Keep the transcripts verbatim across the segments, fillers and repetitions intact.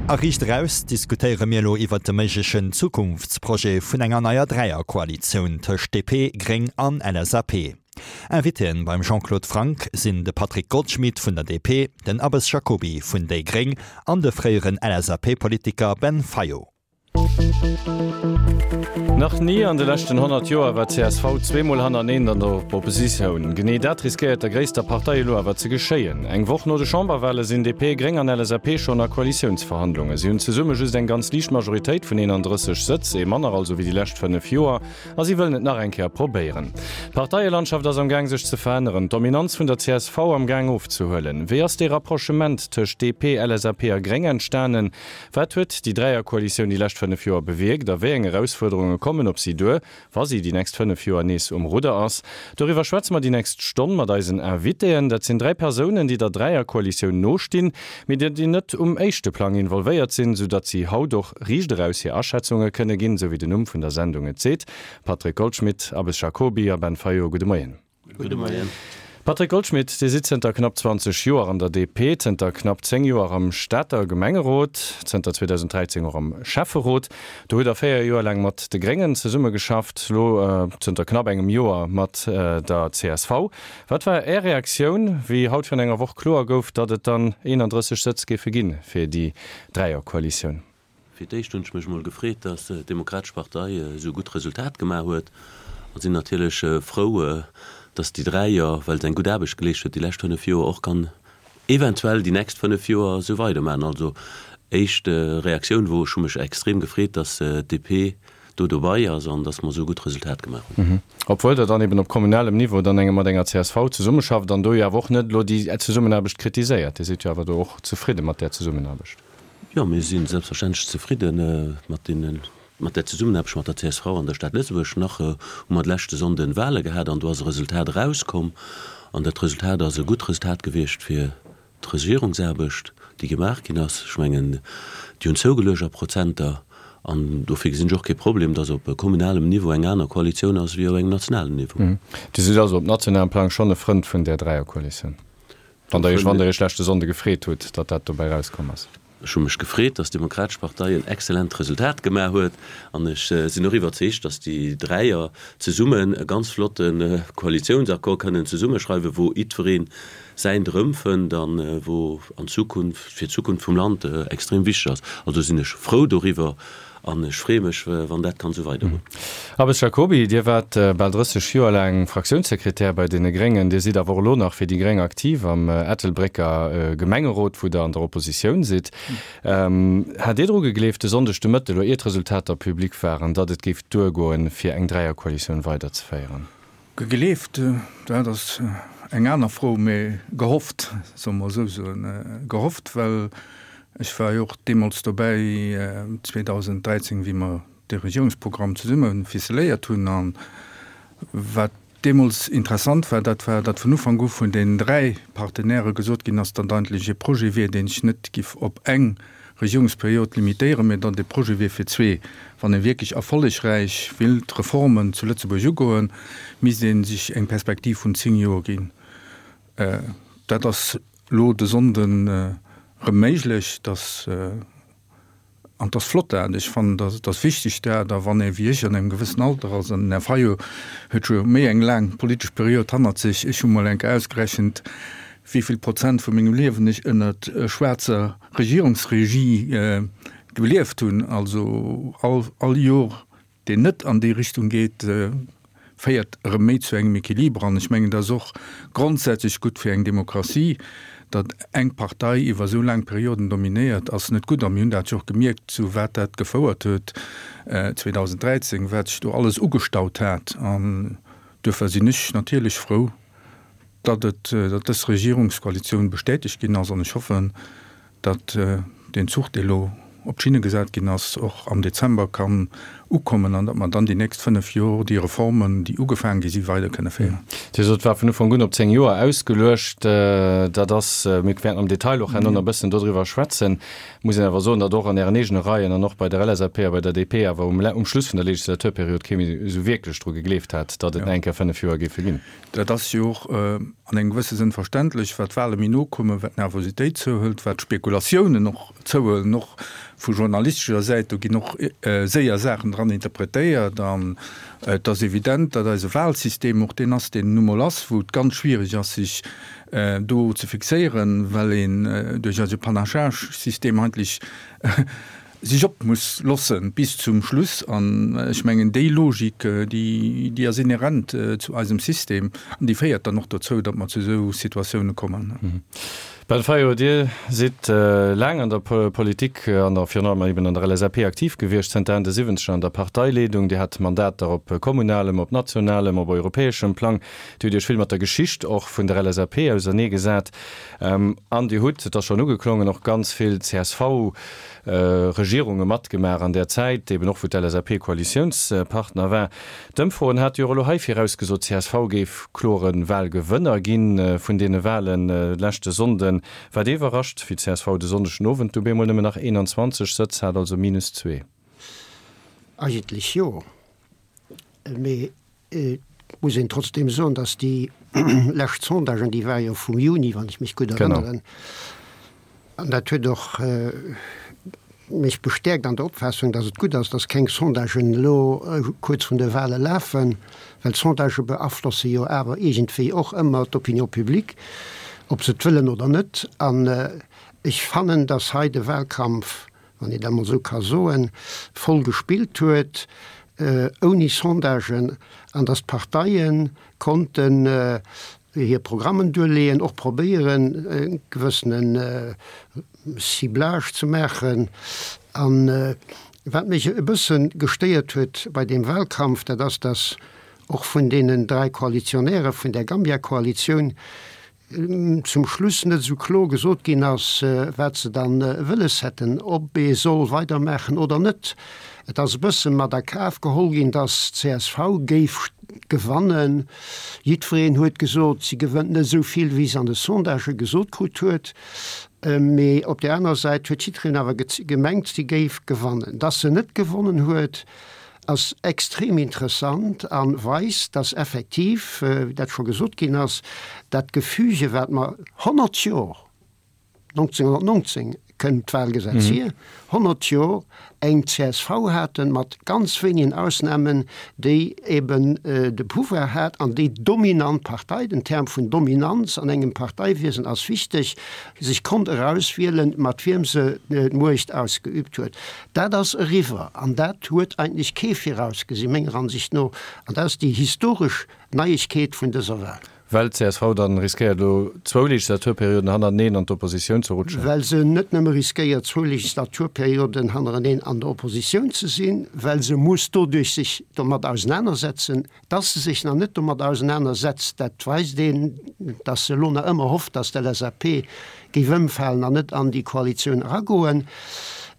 A Riicht Eraus diskutéiere mir elo iwwert de méiglechen Zukunftsprojet vun enger neier Dräierkoalitioun tëscht D P, Gréng an L S A P. Invitéen beim Jean-Claude Franck sinn de Patrick Goldschmidt vun der D P, den Abbes Jacoby vun déi Gréng an de fréieren L S A P-Politiker Ben Fayot. Nach ni an de leschten honnert Joer war C S V zweemol hannerteneen an der Oppositioun. Genee dat riskéiert der gréisster Partei elo awer ze geschéien. Eng Woch no de Chamberwale sinn D P, Gréng an L S A P schonn a Koalitiounsverhandlungen. Si hunn zesumme just eng ganz liicht Majoritéit vun eenandrësseg Sëtz, ee manner also wéi déi lescht fënnef Joer, a si wëllen et nach eng Kéier probéieren. D'Parteielandschaft ass am Gaang sech ze veränneren, d'Dominanz vun der C S V am Gaang ofzehuelen. Wéi ass dee Rapprochement tëscht D P, L S A P a Gréng entstanen? Wat huet déi Dräierkoalitioun déi lescht fënnef Joer bewierkt a wéi eng Erausfuerderunge kommen op si duer, wa si déi nächst fënnef Joer nees um Rudder ass? Doriwwer schwätze mer déi nächst Stonn mat eisen Invitéen. Dat sinn dräi Persounen, déi der Dräierkoalitioun nostinn, mee déi net um éischte Plang involvéiert sinn, soudatt si haut och riicht eraus hir Aschätzunge kënne ginn, sou wéi den Numm vun der Sendung et seet. Patrick Goldschmidt, Abbes Jacoby a Ben Fayot, gudde Moien. Gudde Moien. Patrick Goldschmidt, Dir sidd zënter knapp zwanzeg Joer an der D P, zënter knapp zéng Joer am Stater Gemengerot, zënter zweedausend dräizéng och am Schäfferot. Do hutt Der véier Joer laang mat de Gréngen zesummegeschafft, elo zënter knapp engem Joer mat der C S V. Wat war Är Reaktioun, wéi haut virun enger Woch kloer gouf, datt et dann eenandrësseg Sëtz géife ginn fir déi Dräierkoalitioun? Fir d'éischt hunn ech mech mol gefreet, datt d'Demokratesch Partei esou e gutt Resultat gemaach huet a sinn natierlech frou, datt déi dräi Joer, well se eng gutt Aarbecht geleescht huet déi lescht fënnef Joer, och kann eventuell déi nächst fënnef Joer esou weidermaachen. Also éischt Reaktioun wor, ech hu mech extrem gefreet, datt d'D P do dobei ass an datt mer esou e gutt Resultat gemaach hunn. Obwuel Der dann eben op kommunalem Niveau dann eng mat enger C S V zesummeschafft an do jo awer och net elo déi Zesummenaarbecht kritiséiert. Dir sidd jo awer do och zefridde mat där Zesummenaarbecht. Jo, mir si selbstverständlech zefridde mat deenen, mat där Zesummenaarbecht mat der C S V an der Stad Lëtzebuerg. Nach hu mer de leschte Sonnden Wale gehat an do ass e Resultat erauskomm an dat Resultat ass e gutt Resultat gewiescht fir d'Regierungsaarbecht, déi gemaach ginn ass. Ech mengen, déi hunn zougeluecht a Prozenter an dofir gesinn ech och kee Problem, datt op kommunalem Niveau eng aner Koalitioun ass wéi op engem nationalen Niveau. Dir sidd also op nationalem Plang schonn e Frënd vun där Dräierkoalitioun, wann Der Iech, wann Der Iech leschte Sonnde gefreet hutt, datt dat dobäi erauskomm ass? Ech hu mech gefreet, datt d'Demokratesch Partei en excellent Resultat gemaach huet an ech sinn och iwwerzeegt, datt déi Dräier zesummen e ganz flotte Koalitiounsaccord kënnen zesummeschreiwen, wou jiddweree säint erëmfënnt an wou an Zukunft, fir d'Zukunft vum Land extrem wichteg ass. Also sinn ech frou doriwwer an ech freeë mech, wann dat kann esou weidergoen. Abbes Jacoby, Dir waart bal drësseg Joer laang Fraktiounssekretär bei deene Gréngen. Dir sidd awer och elo nach fir déi Gréng aktiv am Ettelbrécker Gemengerot, wou Der an der Oppositioun sidd. Hat Dir dru gegleeft de Sonndeg de Mëtte, elo ier d'Resultater public waren, datt et géif duergoen, fir eng Dräierkoalitioun weiderzeféieren? Gegleeft, dat ass eng aner Fro, mee gehofft, solle mer esou soen. Gehofft, well ech war jo och deemools dobäi zweedausend dräizéng, wéi mer de Regierungsprogramm zesumme ficeléiert hunn. A wat deemools interessant war, dat war, datt vun Ufank u vun den dräi Partenairë gesot ginn ass, datt eigentlech e Projet wier, deen sech net giff op eng Regierungsperiod limitéieren, mä datt e Projet wier fir zwee. Wann ee wierklech erfollegräich wéilt Reformen zu Lëtzebuerg ugoen, misst ee sech eng Perspektiv vun zéng Joer ginn. Dat ass elo de Sonnden erëm méiglech, dass, an 't ass flott dat, ech fannen, dat et ass wichteg dat, a wann ee wéi ech an engem gewëssen Alter ass, an den Här Fayot huet scho méi eng laang politesch Period hannert sech, ech hu mol eng Kéier ausgerechent, wéi vill Prozent vu mengem Liewen ech ënnert schwaarzer Regierungsregie gelieft hunn, also all, all Jor, deen net an déi Richtung geet, féiert erëm méi zu engem Equiliber. An ech mengen, dat ass och grondsätzlech gutt fir eng Demokratie. Datt eng Partei iwwer esou laang Perioden dominéiert, ass net gutt. A mir hunn dat jo och gemierkt, zu wat dat gefouert huet zweedausend dräizéng, wat sech do alles ugestaut hat. An duerfir sinn ech natierlech frou, datt et, datt dës Regierungskoalitioun bestätegt ginn ass. An ech hoffen, datt deen Zuch, dee elo op d'Schinne gesat ginn ass, och am Dezember kann ukommen an datt mer dann déi nächst fënnef Jor déi Reformen, déi ugefaange gi sinn, weider kënne féieren. Dir sot, et war vun Ufank un op zéng Joer ausgeluecht. Dat ass, mir wäerten am Detail och herno nach e bëssen dodriwwer schwätzen, muss een awer soen, datt och an Ären eegene Reien an och bei der L S A P a bei der D P awer um um Schluss vun der Legislaturperiod kee méi esou wierklech dru gegleeft hat, datt et nach eng Kéier fënnef Joer géife ginn. Dat ass jo och an engem gewësse Sënn verständlech, wat d'Wahle méi no kommen, wat d'Nervositéit zouhëlt, wat d'Spekulatiounen och zouhuelen, och vu journalistescher Säit, do ginn och séier Saachen dran interpretéiert. An et ass evident, datt eise Wahlsystem och deen ass, deen en nu mol ass, wou et ganz schwierig ass, sech do ze fixéieren, well een duerch eise Panachage-System eigentlech sech op muss lossen bis zum Schluss. An ech mengen, déi Logik, déi, déi ass inhärent zu eisem System an déi féiert dann och dozou, datt mer zu esou Situatioune kommen. Ben Fayot, Dir sidd laang an der Politik an der virun allem eben an der L S A P aktiv gewiescht, zënter Enn de Siwwenzeger an der Parteileedung. Dir hat Mandater op kommunalem, op nationalem, op europäeschem Plang. Dir hutt Iech vill mat der Geschicht och vun der L S A P auserneegesat. An Dir hutt, et ass schonn ugeklongen, och ganz vill C S V Regierunge matgemaach an där Zäit, eben och wou d'L S A P Koalitiounspartner war. D'Ëmfroen hate jo och elo hei virausgesot, C S V géif klore Wahlgewënner gi vun deene Wahlen leschte Sonnden. Waart Dir iwwerrascht, wéi d'C S V de Sonndeg den Owend du bemol nëmmen nach eenanzwanzeg Sëtz hat, also minus zwee? Eigentlech jo. Mee et muss een trotzdem soen, datt déi lescht Sondagen, déi ware jo vum Juni, wann ech mech gutt erënneren, an dat huet och mech bestäerkt an der Opfaassung, datt et gutt ass, datt keng Sondagen elo kuerz vrun de Wahle lafen, well d'Sondagë beaflosse jo awer iergendwéi och ëmmer d'Opinion publique, ob se et wëllen oder net. An ech fannen, datt hei de Wahlkampf, wann een dat emol esou ka soen, voll gespillt huet, ouni Sondagen, an datt d'Parteie konnten hir Programmen duerleeën, och probéieren, e gewëssene Ciblage ze maachen. An wat mech e bësse gestéiert huet bei deem Wahlkampf, dat ass, datt och vun deenen dräi Koalitionäre vun der Gambia-Koalitioun zum Schluss net esou kloer gesot ginn ass, wat se dann wëlles hätten, ob ee soll weidermaachen oder net. Et ass e bësse mat a Kaf geholl ginn, datt d'C S V géif gewannen. Jiddwereen huet gesot, si gewënnt net esou vill, wéi se an de Sondagë gesot krut huet. Mee op där aner Säit huet jiddwereen awer gemengt, si géif gewannen. Datt se net gewonnen huet, ass extrem interessant a weist, datt effektiv, wéi dat scho gesot ginn ass, dat Gefüge, wat mer honnert Jor, nonzénghonnertnonzéng kënnt d'Wahlgesetz hier, honnert Jor eng C S V haten, mat ganz wéinigen Ausnahmen, déi eben de Pouvoir hat an déi dominant Partei, den Term vun Dominanz an engem Parteiwiesen ass wichteg, sech konnt erauswielen, mat wiem se d'Muecht ausgeübt huet. Dat ass eriwwer an dat huet eigentlech kee virausgesinn, menger Ansicht no. An dat ass déi historesch Neiegkeet vun dëser Wahl. Well d'C S V dann riskéiert elo zwou Legislaturperioden hannerteneen an d'Oppositioun ze rutschen. Well se net nëmme riskéiert zwou Legislaturperioden hannereneen an der Oppositioun ze sinn, well se muss doduerch sech domat ausenanersetzen. Dass se sech nach net domat ausenanersetzt, dat weist een, dass se elo nach ëmmer hofft, dass d'L S A P géif ëmfalen an net an déi Koalitioun eragoen.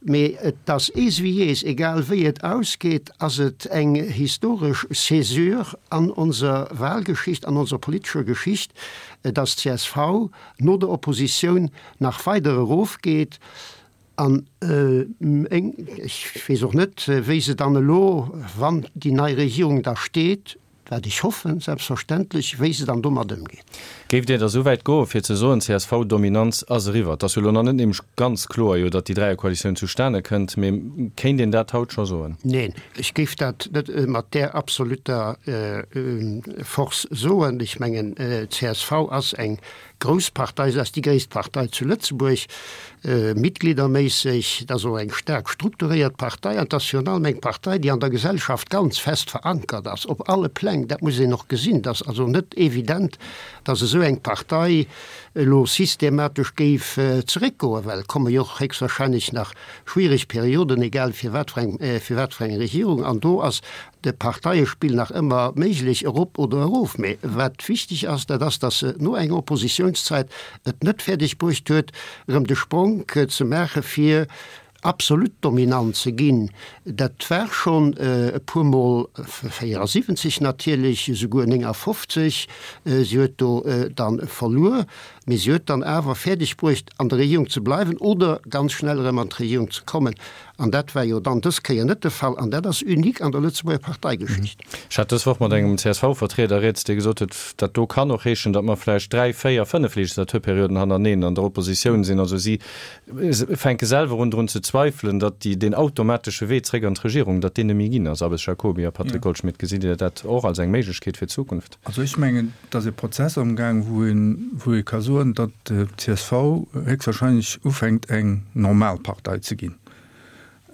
Mee et ass ees wéi ees, egal wéi et ausgeet, ass et eng historesch Césure an onser Wahlgeschicht, an onser politescher Geschicht, dass d'C S V no der Oppositioun nach weider erofgeet. An ech weess och net, wéi se dann elo, wann déi nei Regierung da steet, wat ech hoffen, selbstverständlech, wéi se dann domat ëmgeet. Géift Dir da esou wäit goen, fir ze soen, C S V-Dominanz ass eriwwer? Et ass jo elo nach net nämlech ganz kloer jo, datt déi Dräierkoalitioun zustane kënnt, mee kéint een dat haut scho soen? Neen, ech géif dat net mat där absoluter Force soen. Ech mengen, d'C S V ass eng grouss Partei, se ass déi gréisst Partei zu Lëtzebuerg, mitgliederméisseg, et ass och eng staark strukturéiert Partei an et ass virun allem eng Partei, déi an der Gesellschaft ganz fest verankert ass, op alle Pläng. Dat muss een och gesinn. Et ass also net evident, datt esou eng Partei elo systematesch géif zeréckgoen, well et komme jo och héchstwahrscheinlech nach schwiereg Perioden, egal fir wat fir eng, fir wat fir eng Regierung. An do ass de Parteiespill nach ëmmer méiglech, erop oder erof. Mee wat wichteg ass, dat ass, datt se no enger Oppositiounszäit et net fäerdeg bruecht huet, erëm de Spronk ze maache fir absolut dominant ze ginn, dat war schonn e puermol véierasiwwenzeg natierlech, esouguer néngafofzeg, si huet do dann verluer, mee si huet dann awer fäerdeg bruecht an der Regierung ze bleiwen oder ganz schnell erëm an d'Regierung ze kommen. An dat war jo dann dës Kéier net de Fall an dat ass unique an der Lëtzebuerger Parteigeschicht. Ech hat dës Woch mat engem C S V-Vertrieder rieds, dee gesot huet, dat do kann och heeschen, datt mer vläicht dräi, véier, fënnef Legislaturperioden hanerneen an der Oppositioun sinn. Also si fänke selwer un drun ze zweifelen, datt déi deen automatesche Wee zréck an d'Regierung, datt deen net méi ginn ass. Abbes Jacoby a Patrick Goldschmidt, gesitt Dir dat och als eng Méiglechkeet fir d'Zukunft? Also ech mengen, et ass e Prozess amgaang, wou een, wou ee ka soen, datt d'C S V héchstwahrscheinlech ufänkt eng normal Partei ze ginn.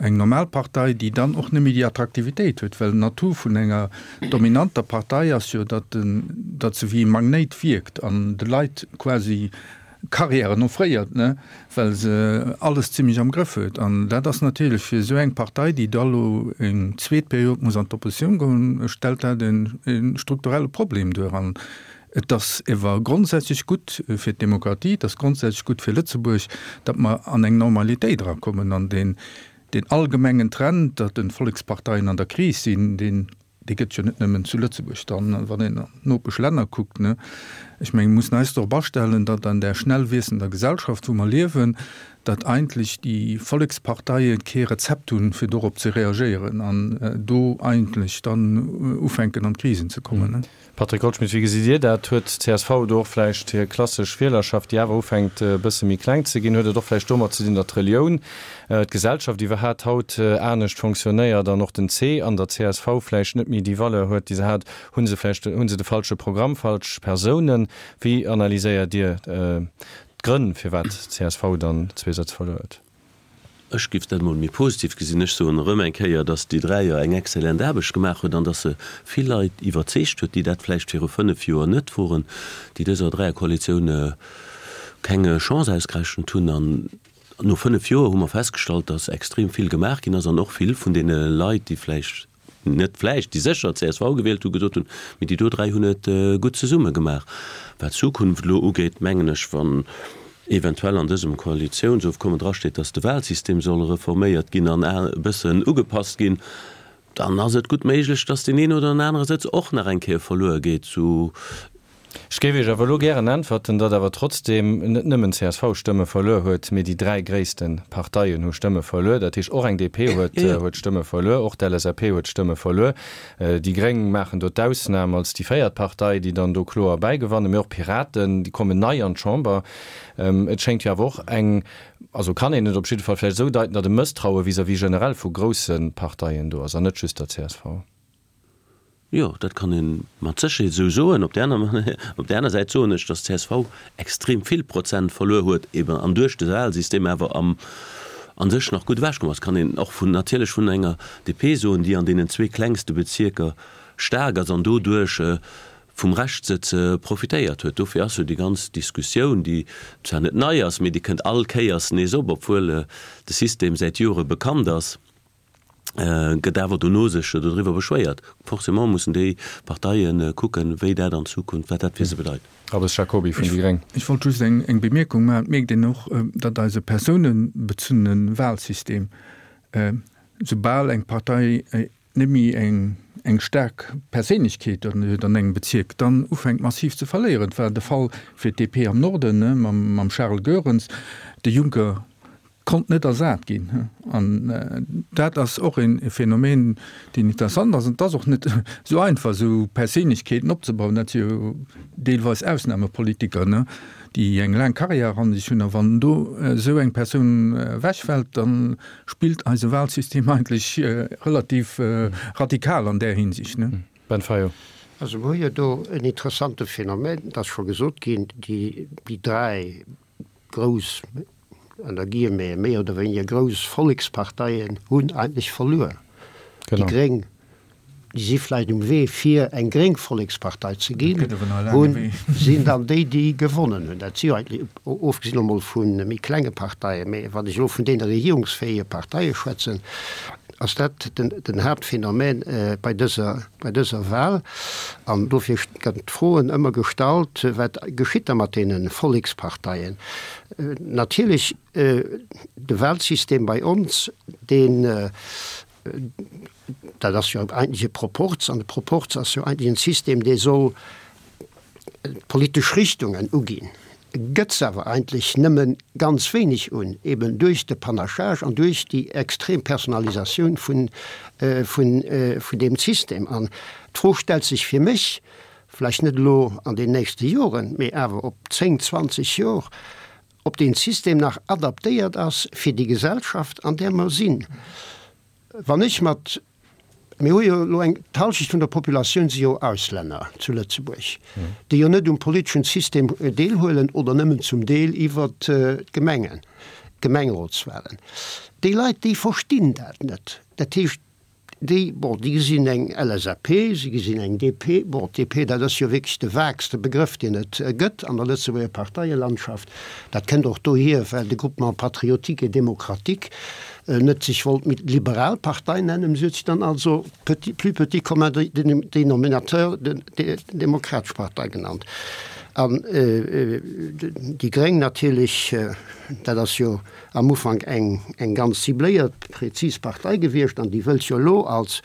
Eng normal Partei, déi dann och net méi déi Attraktivitéit huet, well d'Natur vun enger dominanter Partei ass jo, datt den, datt se wéi e Magnéit wierkt an de Leit quasi Carrièren offréiert, ne, well se alles zimlech am Grëff huet. An dat ass natierlech fir esou eng Partei, déi da lo eng zweet Period muss an d'Oppositioun goen, stellt dat en, e strukturelle Problem duer. An et ass ewer grondsätzlech gutt fir d'Demokratie, et ass grondsätzlech gutt fir Lëtzebuerg, datt mer an eng Normalitéit erakommen. An deen, deen allgemengen Trend, datt den Volleksparteien an der Kris sinn, deen, dee gëtt jo net nëmmen zu Lëtzebuerg dann, wann een an d'Nopeschlänner kuckt, ne. Ech mengen, mir mussen eis drop astellen, datt an där schnell wiessender Gesellschaft, wou mer liewen, datt eigentlech déi Volleksparteie kee Rezept hunn, fir dorop ze reagéieren an do eigentlech dann ufänken an d'Krisen ze kommen, ne. Patrick Goldschmidt, wéi gesitt Dir dat? Huet d'C S V do och vläicht hir klassesch Wielerschaft, déi awer ufänkt e bësse méi kleng ze ginn, huet et och vläicht domat ze dinn, datt d'Relioun, d'Gesellschaft iwwerhat haut anescht fonctionnéiert an och den C an der C S V vläicht net méi déi Valeur huet, déi se hat? Hu se vläicht, hu se de falsche Programm, falsch Persounen? Wéi analyséiert Dir d'Grënn, firwat d'C S V dann zwee Sëtz verluer huet? Ech giff dat mol méi positiv gesinn. Ech soen erëm eng Kéier, dass déi Dräier eng exzellent Aarbecht gemaach huet an dass se vill Leit iwwerzeegt huet, déi dat vläicht viru fënnef Joer net woren, déi dëser Dräierkoalitioun keng Chance ausgerechent hunn. An no fënnef Joer hu mer festgestallt, dass extrem vill gemaach ginn ass an och vill vun deene Leit, déi vläicht, net vläicht, déi sécher C S V gewielt hunn, gesot hunn, mee déi do dräi hunn et gutt zesumme gemaach. Wat d'Zukunft elo ugeet, mengen ech, wann eventuell an dësem Koalitiounsofkommen drasteet, datt de Wahlsystem soll reforméiert ginn an e bëssen ugepasst ginn, dann ass et gutt méiglech, datt deen een oder den anere Sëtz och nach eng Kéier verluer geet. Zu. Ech géif Iech awer elo gären äntwerten, datt awer trotzdeem net nëmmen C S V Stëmme verluer huet, mee déi dräi gréisste Parteien hu Stëmme verluer. Dat heescht, och eng D P huet huet Stëmme verluer, och d'L S A P huet Stëmme verluer. Déi Gréng maachen do d'Ausnam als déi véiert Partei, déi dann do kloer bäigewannen, mee och d'Piraten, déi kommen nei an d'Chamber. Et schéngt jo awer och eng, also kann een et op jidde Fall vläicht esou deiten, datt e Mësstraue vis-à-vis generell vu grousse Parteien do ass an net just der C S V. Jo, dat kann ee mat Sécherheet esou soen. Op där aner, op där aner Säit soen ech, datt d'C S V extrem vill Prozent verluer huet, eben an duerch de Wahlsystem awer am a sech nach gutt ewechkomm ass. Kann een och vun, natierlech vun enger D P soen, déi an deenen zwee klengste Bezierker staark ass an doduerch vum Reschtsëtz profitéiert huet. Dofir ass jo déi ganz Diskussioun, déi zwar net nei ass, mee déi kënnt all Kéiers nees op, obwuel de System säit Jore bekannt ass, gëtt awer dono sech dodriwwer beschwéiert. Forcément mussen déi Parteie kucken, wéi dat an Zukunft, wat dat fir se bedeit. Abbes Jacoby vun déi Gréng. Ech wollt just eng Bemierkung maachen. Et mierkt een och, datt eise persounebezunne Wahlsystem, soubal eng Partei net méi eng staark Perséinlechkeet huet an engem Bezierk, dann ufänkt massiv ze verléieren. Et war de Fall fir d'D P am Norden mam Charles Goerens. De Juncker konnt net ersat ginn. An dat ass och e Phänomen, deen interessant ass. An et ass och net esou einfach, esou Perséinlechkeeten opzebauen. Dat si jo deelweis Ausnamepolitiker, déi eng laang Karriär hanner sech hunn. A wann do esou eng Persoun ewechfält, da spillt eise Wahlsystem eigentlech relativ radikal an där Hinsicht. Ben Fayot. Also mer hu jo do en interessante Phänomen, et ass scho gesot ginn, déi dräi grouss, ënner Guillemeten, méi oder wéiniger grouss Volleksparteien hunn eigentlech verluer. Déi Gréng, déi si vläicht um Wee fir eng gréng Vollekspartei ze ginn, hunn, sinn dann déi, déi gewonnen hunn. Dat si jo eigentlech, ofgesinn elo mol vu méi klenge Parteien, mä wann ech elo vun deene regierungsfähige Parteie schwätzen, ass dat den, den Haaptphänomen bei dëser, bei dëser Wahl. An dofir gëtt d'Froen ëmmer gestallt, Wat geschitt da mat deene Volleksparteien? Natierlech, de Wahlsystem bei ons, deen, dat ass jo eigentlech e Proporz, an de Proporz ass jo eigentlech en System, dee soll d'politesch Richtungen uginn, gëtt se awer eigentlech nëmme ganz wéineg un, eben duerch de Panachage an duerch déi extrem Personalisatioun vun, vun, vun deem System. An d'Fro stellt sech fir mech, vläicht net elo an den nächste Joren, mee awer op zéng, zwanzeg Jor, ob deen System nach adaptéiert ass fir déi Gesellschaft, an där mer sinn. Wann ech mat, mir hu jo elo eng, d'Halschecht vun der Populatioun si jo Auslänner zu Lëtzebuerg, déi jo net um politeschen System deelhuelen oder nëmmen zum Deel iwwert d'Gemengen, d'Gemengerotswahlen. Déi Leit, déi verstinn dat net. Dat heescht, Déi, bon, déi gesinn eng LSAP, si gesinn eng DP. Bon, d'DP, dat ass jo wierklech de vaagste Begrëff, deen et gëtt an der Lëtzebuerger Parteielandschaft. Dat kënnt och dohier, well de Groupement patriotique et démocratique net sech wollt méi liberal Partei nennen, si huet sech dann also petit, plus petit commun dénominateur, Demokratesch Partei genannt. An déi Gréng natierlech, dat ass jo am Ufank eng eng ganz cibléiert, prezis Partei gewiescht, an déi wëllt jo elo als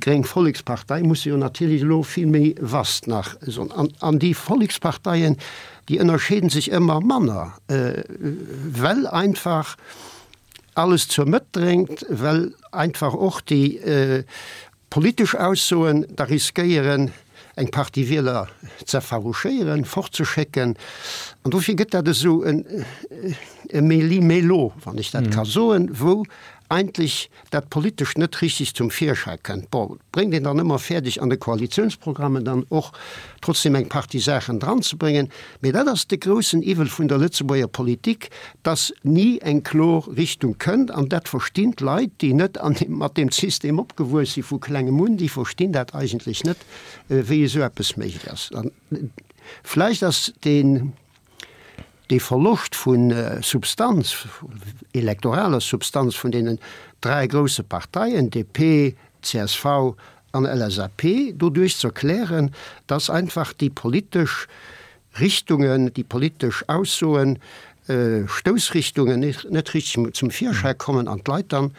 gréng Vollekspartei, muss se jo natierlech elo vill méi vast nach soen. An an déi Volleksparteien, déi ënnerscheeden sech ëmmer manner, well einfach alles zur Mëtt dréngt, well einfach och déi politesch Aussoen da riskéieren, eng Partie Wieler z'effarouchéieren, fortzeschécken. An dofir gëtt dat esou e Méli-mélo, wann ech dat ka soen, wou eigentlech dat Politescht net richtig zum Virschäi kënnt. Bon, et bréngt een dann ëmmer fäerdeg, an de Koalitionsprogrammen dann och trotzdem eng Partie Saachen dranzebréngen. Mee dat ass de groussen Iwwel vun der Lëtzebuerger Politik, dass ni eng klor Richtung kënnt. An dat verstinn d'Leit, déi net an deem, mat deem System opgewuess si vu klengem un, déi verstinn dat eigentlech net, wéi esou eppes méiglech ass. An vläicht ass deen, dee Verloscht vu Substanz, elektoraler Substanz vun deenen dräi grousse Parteien, DP, csv an LSAP, doduerch ze erklären, dass einfach déi politesch Richtungen, déi politesch Aussoen, Stoussrichtungen net richteg zum Virschäi kommen an d'Leit dann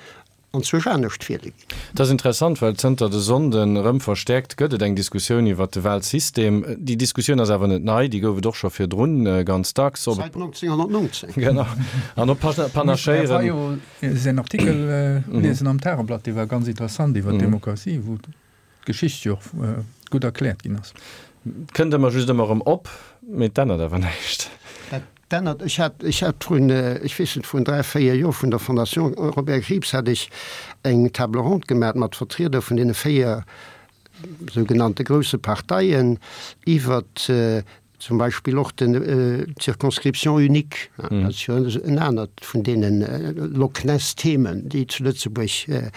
anzwousch anescht wiele ginn. Et ass interessant, well zënter de Sonnden erëm verstäerkt gëtt et eng Diskussioun iwwert de Wahlsystem. Déi Diskussioun ass awer net nei, déi gouf et och scho virdrun ganz dacks. Säit neunzehnhundertneunzehn. Genau. An op Panachéieren. Ech hu jo säin Artikel liesen am Tageblatt, dee war ganz interessant iwwert d'Demokratie, wou d'Geschicht jo och gutt erkläert ginn ass. Et kënnt ëmmer just ëmmer erëm op, mee et ännert awer näischt. Dat ännert, ech hat, ech hat vrun, ech weess net, vrun dräi, véier Joer vun der Fondation Robert Krieps hat ech eng Table ronde gemaat mat Vertrieder vun deene véier sougenannte grousse Parteien iwwert zum Beispill och den d'Circonscription unique. Dat ass jo en anert vun deene Lochness-Themen, déi zu Lëtzebuerg,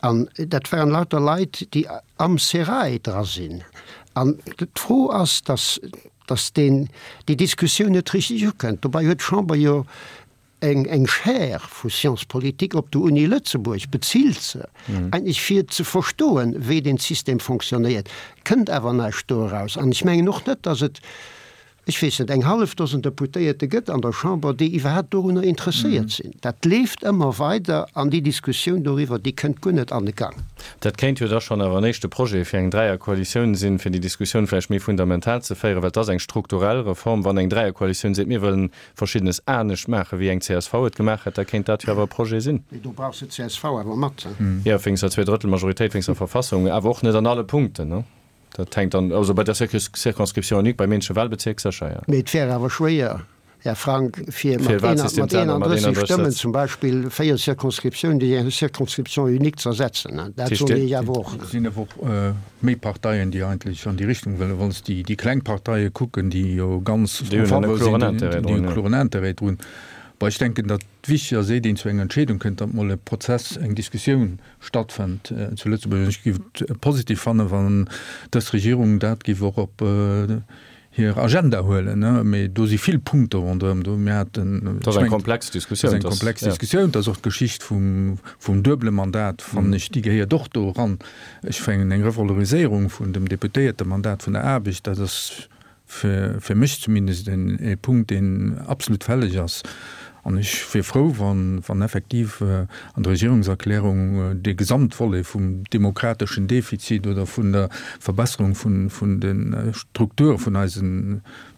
an dat waren lauter Leit, déi am Sérail dra sinn. An d'Fro ass, dass, dass deen, déi Diskussioun net richtig ukënnt. Dobäi huet d'Chamber jo eng, eng Chaire vu Sciences politiques op der Uni Lëtzebuerg, bezilt se eigentlech fir ze verstoen, wéi deen System fonctionnéiert. Kënnt awer näischt do eraus. An ech mengen och net, dass et, ech weess net, eng hallef Dosen Deputéierte gëtt an der Chamber, déi iwwerhaapt dorunner interesséiert sinn. Dat leeft ëmmer weider an déi Diskussioun doriwwer, déi kënnt guer net an de Gang. Dat kéint jo da schonn awer en éischte Projet fir eng Dräierkoalitioun sinn, fir déi Diskussioun vläicht méi fundamental ze féieren, well et ass eng strukturell Reform. Wann eng Dräierkoalitioun seet, mir wëllen Verschiddenes anescht maachen, wéi eng csv et gemaach hätt, da kéint dat jo awer e Projet sinn. Mee do brauchs de d'CSV awer mat. Jo, wéinst der Zweedrëttelmajoritéit, wéinst der Verfassung, awer och net an alle Punkten, ne? Dat hänkt dann, also bei der Circonscription unique, beim eenzege Wahlbezierk sécher, jo. Mee et wär awer schwéier, Här Frank, fir mat eenandrësseg Stëmmen zum Beispill véier Circonscriptiounen duerch eng Circonscription unique ze ersetzen. Dat soen ech awer och. Et sinn awer och méi Parteien, déi eigentlech an déi Richtung wëllen. Wann s de déi kleng Parteie kucken, déi jo ganz en faveur sinn, déi hunn e kloren Intérêt drun. Bon, ech denken, datt wichteg ass, éiert een zu enger Entscheedung kënnt, datt mol e Prozess, eng Diskussioun stattfënnt zu Lëtzebuerg. An ech géif et positiv fannen, wann dës Regierung dat géif och op hir Agenda huelen, mee do si vill Punkte ronderëm do. Mir haten, Dat ass eng komplex Diskussioun. Dat ass eng komplex Diskussioun. Dat ass och d'Geschicht vum, vum duebele Mandat, fannen ech, déi gehéiert och do eran. Ech mengen, eng Revaloriséierung vun dem Deputéiertemandat, vun der Aarbecht, dat ass fir, fir mech zumindest en, e Punkt, deen absolut fälleg ass. An ech wier frou, wann, wann effektiv an der Regierungserklärung dee Gesamtvolet vum demokrateschen Defizit oder vun der Verbesserung vun, vun de Strukture vun eise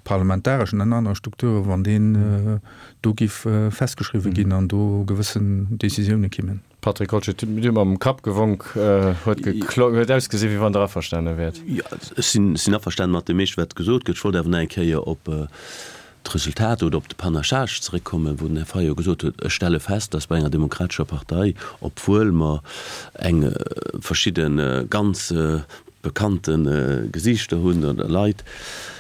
parlamentareschen an anere Strukturen, wann deen do giff festgeschriwwen ginn an do gewëssen Décisioune kimmen. Patrick Goldschmidt, Dir hutt mam Kapp gewonk, huet geklongen, huet ausgesinn, wéi wann Der averstane wäert. Jo, ech sinn, sinn averstanen mat deem meeschte, wat gesot gëtt. Ech wollt awer nach eng Kéier op d'Resultat oder op de Panachage zeréckkommen, wou den Här Fayot gesot huet, Ech stelle fest, dass bei enger demokratescher Partei, obwuel mer eng verschidde ganz bekannte Gesiichter hunn oder Leit,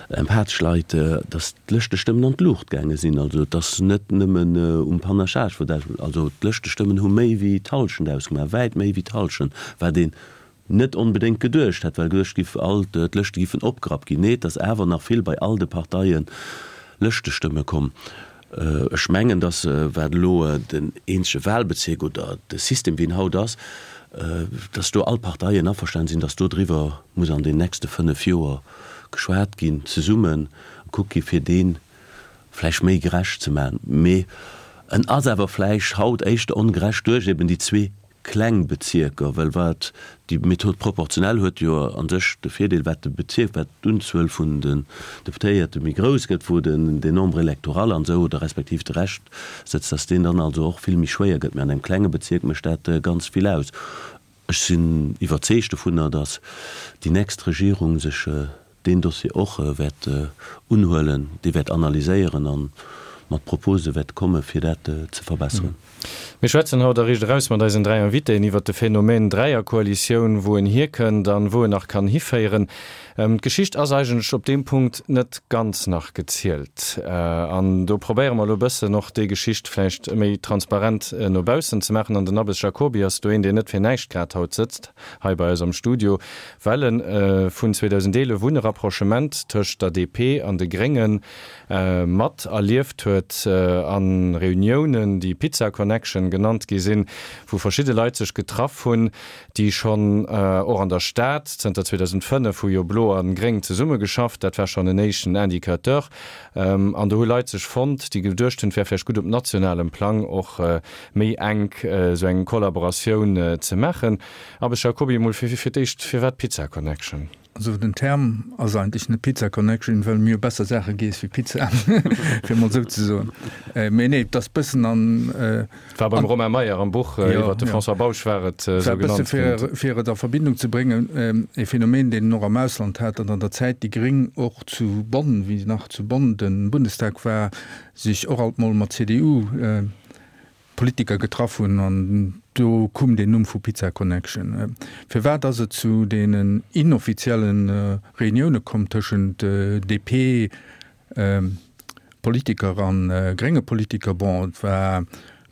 empathesch Leit, dass d'Lëschtestëmmen an d'Luucht gaange sinn. Also et ass net nëmmen um Panachage, wou dat, also d'Lëschtestëmmen hu méi wéi d'Hallschent ausgemaach, wäit méi wéi d'Hallschent, wat een net onbedéngt geduecht hätt, well geduecht giff, all d'Lëschte giffen opgerappt ginn. Nee, et ass awer nach vill bei all de Parteie Lëschtestëmme komm. Ech mengen, datt, wat elo den eenzege Wahlbezierk oder de System, wéi en haut ass, datt do all Parteien averstanen sinn, datt do driwwer muss an den nächste fënnef Joer geschwat ginn, zesumme gekuckt gi fir dee vläicht méi gerecht ze maachen. Mee en ass awer vläicht haut éischter ongerecht duerch eben déi zwee kleng Bezierker, well wat déi Méthode proportionnelle huet jo a sech de Virdeel, wat de Bezierk, wat d'Unzuel vun den Deputéierte méi grouss gëtt, wou den den Nombre électoral an esou oder respektiv de Rescht sëtzt, dass deen dann also och vill méi schwéier gëtt. Mä an engem klenge Bezierk mécht dat ganz vill aus. Ech sinn iwwerzeegt dovunner, dass déi nächst Regierung sech deen Dossier och wäert unhuelen, dee wäert analyséieren a mat Propose wäert komme fir dat ze verbesseren. Mir schwätzen haut a Riicht Eraus mat eisen dräi Invitéen iwwert de Phänomen Dräierkoalitioun, wou en hierkënnt an wou en nach kann hiféieren. D'Geschicht ass eigentlech op deem Punkt net ganz nach gezielt. An do probéiere mer elo e bëssen och déi Geschicht vläicht méi transparent no baussen ze maachen. An den Abbes Jacoby ass do een, deen net fir näischt grad haut sëtzt hei bei eis am Studio, well en vun zweedausendeelef un e Rapprochement tëscht der D P an de Gréngen mat erlieft huet a Reuniounen, déi Pizza Connection genannt gi sinn, wou verschidde Leit sech getraff hunn, déi schonn och an der Stad, zënter zweedausendfënnef hu jo Blo a Gréng zesummegeschafft, dat war schonn en éischten Indicateur, an do hu Leit sech fonnt, déi geduecht hunn, et wär vläicht gutt op nationalem Plang och méi enk esou eng Kollaboratioun ze maachen. Abbes Jacoby, emol fir d'éischt, firwat Pizza Connection? Also den Term ass eigentlech net Pizza Connection, well mir hu besser Saache giess wéi Pizza, fir emol esou ze soen. Mee nee, et ass bëssen an. Et war beim Romain Meyer am Buch iwwer de François Bausch war et esou genannt ginn. Fir, fir et a Verbindung ze bréngen, e Phänomen, deen en och am Ausland hat, datt an der Zäit déi Gréng och zu Bonn, wéi nach zu Bonn de Bundestag war, sech och alt mol mat C D U Politiker getraff hunn an do koum deen Numm vu Pizza Connection. Firwat ass et zu deenen inoffizielle Reunioune komm tëschent D P Politiker a grénge Politiker? Bon, et war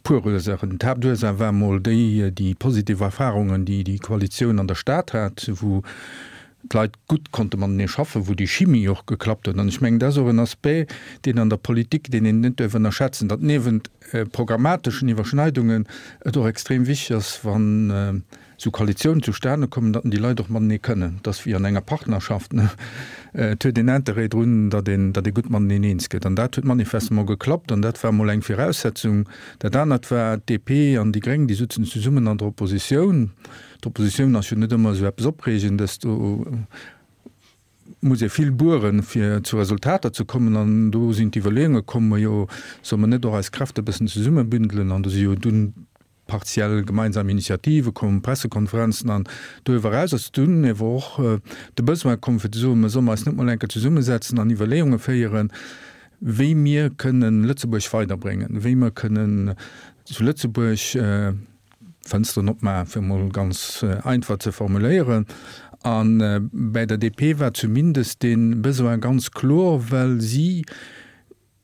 puer Ursaachen. D'Haaptursaach war mol déi, déi positiv Erfarungen, déi déi Koalitioun an der Stad hat, wou d'Leit gutt konnte matenee schaffen, wou déi Chimie och geklappt huet. An ech mengen, dat ass och en Aspect, deen an der Politik, deen een net duerf ënnerschätzen, datt niewent programmateschen Iwwerschneidungen et och extrem wichteg ass, wann esou Koalitiounen zustane kommen, datt déi Leit och matenee kënnen. Et ass wéi an enger Partnerschaft, ne? Et huet een Interêt drun, datt een, datt ee gutt mateneen eens gëtt. An dat huet manifestement geklappt an dat war emol eng Viraussetzung. Dat anert war, d'D P an déi Gréng, déi sutzen zesummen an der Oppositioun. D'Oppositioun ass jo net ëmmer esou eppes Opreegendes, do muss ee vill bueren, fir zu Resultater ze kommen. An do sinn d'Iwwerleeunge komm, majo, solle mer net och eis Kräfte e bëssen zesummebündelen? An do si jo dunn partiell gemeinsam Initiative komm, Pressekonferenzen. An doriwwer eraus ass dunn ewer och de Besoin komm, fir ze soen, mer solle eis net mol eng Kéier zesummesetzen an Iwwerleeunge féieren, wéi mir kënnen Lëtzebuerg weiderbréngen, wéi mer kënnen zu Lëtzebuerg Fënsteren opmaachen, fir emol ganz einfach ze formuléieren. A bäi der D P war zumindest dee Besoin ganz kloer, well si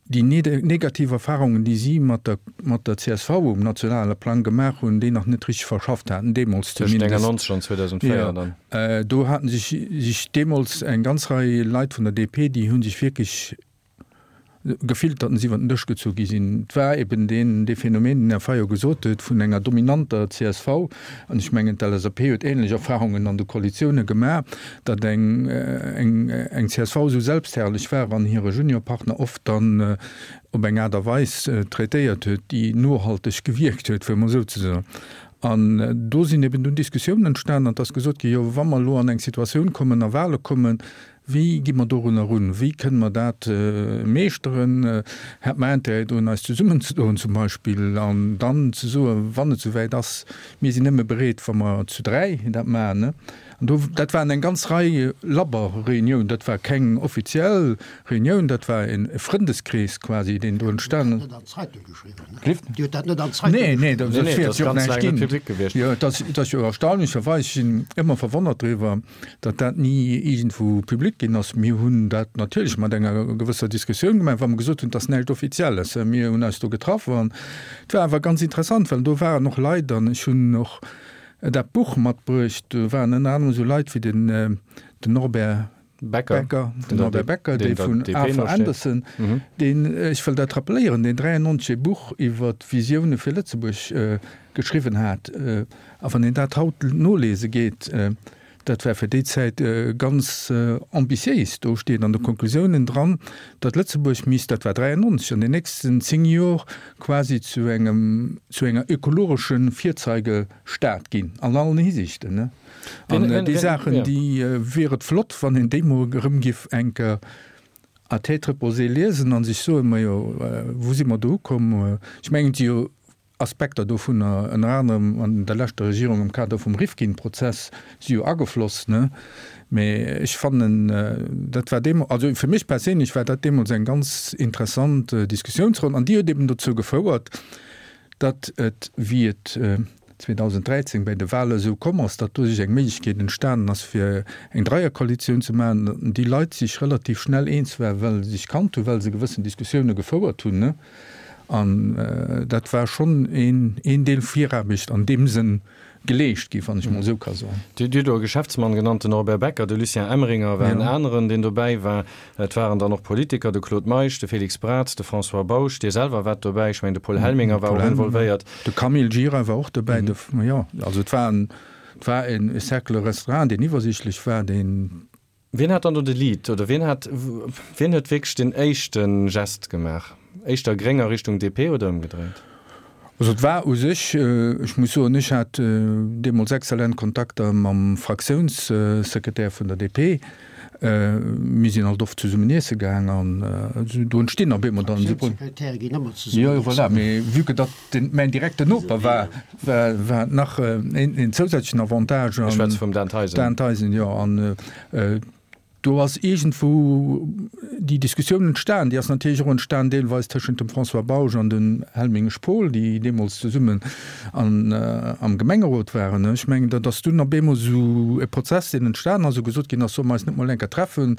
déi negativ Erfahrungen, déi si mat der, mat der csv um nationale Plang gemaach hunn, déi nach net richteg verschafft haten, deemools Tëscht zumindest. néngannonzeg an zweedausendvéier dann. Jo, do haten sech, sech deemools eng ganz Rei Leit vun der D P, déi hu sech wierklech gefillt, datt se iwwer den Dësch gezu gi sinn. Et war eben deen, dee Phänomen, deen Här Fayot gesot huet, vun enger dominanter csv, an ech mengen d'L S A P huet ähnlech Erfahrungen an de Koalitiounen gemaach, datt eng, eng, eng csv esou selbstherrlech war an hire Juniorpartner oft dann op eng Aart a Weis traitéiert huet, déi nohalteg gewierkt huet, fir emol esou ze soen. An do sinn eben dunn Diskussiounen entstanen an et ass gesot ginn, jo wa mer elo an eng Situatioun kommen, a Wahle kommen, wéi gi mer dorunner erun, wéi kënne mer dat meeschteren, hätt mer Intérêt drun eis zesummenzedoen zum Beispill an dann ze soen, wann et souwäit ass, mir sinn nëmme bereet, wa mer zu dräi dat maachen. An do, dat waren eng ganz Rei labber Reunioun, dat war keng offiziell Reunioun, dat war e Frëndeskrees quasi, deen do entstanen ass. Dir hutt dat net an d'Zeitung Nee, nee, dat Nee, nee, wäert dat ass jo och ganz näischt laang net ginn. public gewiescht. Jo, et ass, et ass jo erstaunlecherweis, ech sinn ëmmer verwonnert driwwer, datt dat ni iergendwou public ginn ass. Mir hunn dat natierlech mat enger gewësser Diskussioun gemaach, wa mer gesot hunn, et ass näischt Offizielles. Mir hunn eis do getraff an et war awer ganz interessant, well do waren och Leit an ech hunn och dat Buch matbruecht, do waren ënner anerem esou Leit wéi den, den Norbert Becker, Becker, den vun der Norbert Becker, deen dee der vun D P Arthur no steet. Andersen, deen, ech wëll dat rappeléieren, deen dräiannonzeg e Buch iwwer d'Visioune fir Lëtzebuerg geschriwwen hat. A wann een dat haut nolese geet, dat war fir déi Zäit ganz ambitiéis, do steet an de Konklusiounen dran, datt Lëtzebuerg misst, dat war dräiannonzeg, an den nächsten zéng Jor quasi zu engem, zu enger ökologesche Virzeigestad ginn, an allen Hisiichten. An déi Saachen, déi wier et flott, wann een déi mol erëm giff eng Kéier à tête reposée liesen an sech soen, majo, wou si mer do ukomm? Ech mengen, et si jo Aspekter dovunner, ënner anerem an der leschter Regierung am Kader vum Rifkin-Prozess, si jo agefloss, ne? Mee ech fannen, dat war deemools, also fir mech perséinlech war dat deemools eng ganz interessant Diskussiounsronn an déi huet eben dozou gefouert, datt et, wéi et zweedausend dräizéng bei de Wale esou komm ass, datt do sech eng Méiglechkeet entstanen ass, fir eng Dreierkoalitioun ze maachen, datt déi Leit sech relativ schnell eens waren, well se sech kannt hunn, well se gewëssen Diskussioune gefouert hunn. An dat war schonn een, een Deel Viraarbecht an deem Sënn geleescht gi, wann ech mol esou ka soen. Dir hutt do e Geschäftsmann genannt, den Norbert Becker, de Lucien Emeringer war en aneren, deen dobäi war. Et waren dann och Politiker, de Claude Meisch, de Félix Braz, de François Bausch, Dir selwer waart dobäi, ech mengen de Paul Helminger war och involvéiert. De Camille Gira war och dobäi. De, jo, also et war en, et war en Cercle restreint, deen iwwersiichtlech war, deen. Wien hat dann do de Lead oder wien hat, wien huet wierklech den éischte Gest gemaach? Éischter Gréng a Richtung D P oder ëmgedréint? Also et war u sech, ech muss soen, ech hat deemools exzellent Kontakter mam Fraktiounssekretär vun der D P. Mir sinn alt oft zesummen iesse gaang an do entstinn op eemol dann esou. Fraktiounssekretäre ginn ëmmer zesummen Jo, iessen. voilà, mee vue que datt den mäin direkten Noper war, war, war et nach een zousätzlechen Avantage. Ech schwätze vum Dan Theisen. Dan Theisen, jo. An do ass iergendwou déi Diskussioun entstan. Déi ass natierlech och entstan deelweis tëschent dem François Bausch an dem Helminger Paul, déi deemools zesummen an, am Gemengerot waren. Ech mengen, dat ass dunn op eemol esou e Prozess, deen entstan ass, wou gesot ginn ass, solle mer eis net mol eng Kéier treffen.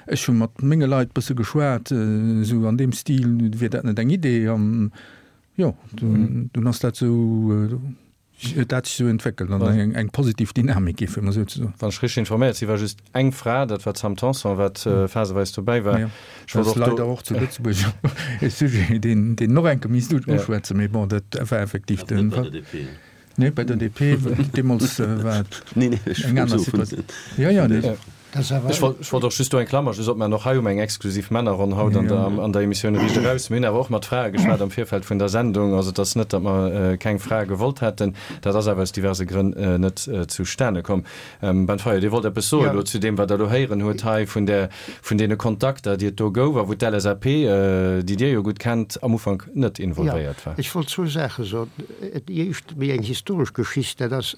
Ech hu mat menge Leit e bësse geschwat, esou an deem Stil, wier dat net eng Idee? An jo, dunn, dunn ass dat esou. Huet dat sech esou entwéckelt an eng, eng positiv Dynamik gi, fir emol esou ze soen. Wann ech richteg informéiert si, war just eng Fra, dat war d'Sam Tanson, wat phaseweis dobäi war. Jo, Ech dat wollt ass och do. leider och zu Lëtzebuerg e Sujet, deen, deen och eng Kéier misst uschwätzen, mee bon, dat war effektiv Awer de net bei Fall. der D P. Nee, bei der D P, deemools war et Nee, nee, ech eng aner soe vun Situatioun. Jo, jo, vun nee. der. Ja. Dat ass Ech awer. wollt, ech wollt och just do eng Klammer just opmaachen, och hei hu mer eng exklusiv Männerronn haut an der, an der Emissioun Riicht Eraus. Mir hunn awer och mat Frae geschwat am Virfeld vun der Sendung. Also et ass net, datt mer keng Frae gewollt hätten. Dat ass awer aus diverse Grënn net zustane komm. Ben Fayot, Dir wollt eppes soen Ja. elo zu deem, wat Der elo héieren hutt hei vun der, vun deene Kontakter, déi et do gouf a wou d'L S A P, déi Dir jo gutt kennt, am Ufank net Ja, involvéiert war. ech wollt zwou Saache soen. Déi éischt méi eng historesch Geschicht, dat ass,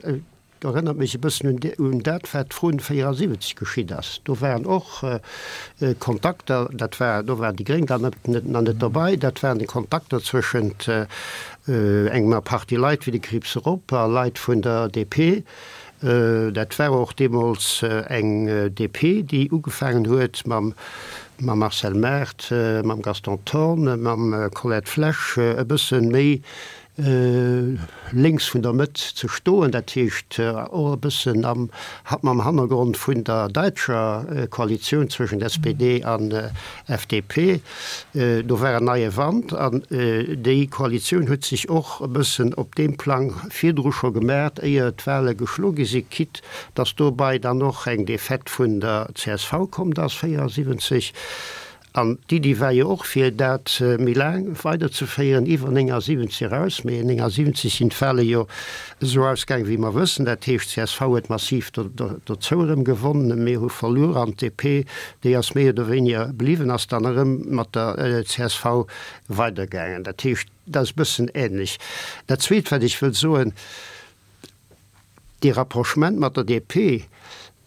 Dat erënnert mech e bëssen un, un dat, wat vrun véierasiwwenzeg geschitt ass. Do waren och Kontakter, dat war, do waren déi Gréng dann net, net, nach net dobei, dat waren déi Kontakter zwëschent engemer Partie Leit wéi de Krieps Erop a Leit vun der D P, Dat war och deemools eng D P, déi ugefaangen huet mam Marcel Mart, mam Gaston Thorn, mam Colette Flesch e bësse méi lénks vun der Mëtt ze stoen, dat heescht och e bëssen am mam Hannergrond vun der däitscher Koalitioun zwëschent S P D an F D P. Do war en neie Wand an déi Koalitioun huet sech och e bëssen op deem Plang virdru scho gemat, éier d'Wahle geschlo gi sinn, quitte datt dobei dann och eng Defaite vun der C S V komm ass véierundsiwwenzeg. An d'Iddi war jo och, fir dat méi laang weiderzeféieren, iwwer néngasiwwenzeg eraus. Mee néngasiwwenzeg sinn d'Wahle jo esou ausgaangen, wéi mer wëssen. Dat heescht, d'C S V huet massiv dozou erëm gewonnen, mir hu verluer an d'D P, déi ass méi oder wéiniger bliwwen, ass dann erëm mat der C S V weidergaangen. Dat heescht, dat ass e bëssen ähnlech. Dat Zweet, wat ech wëll soen, Dee Rapprochement mat der D P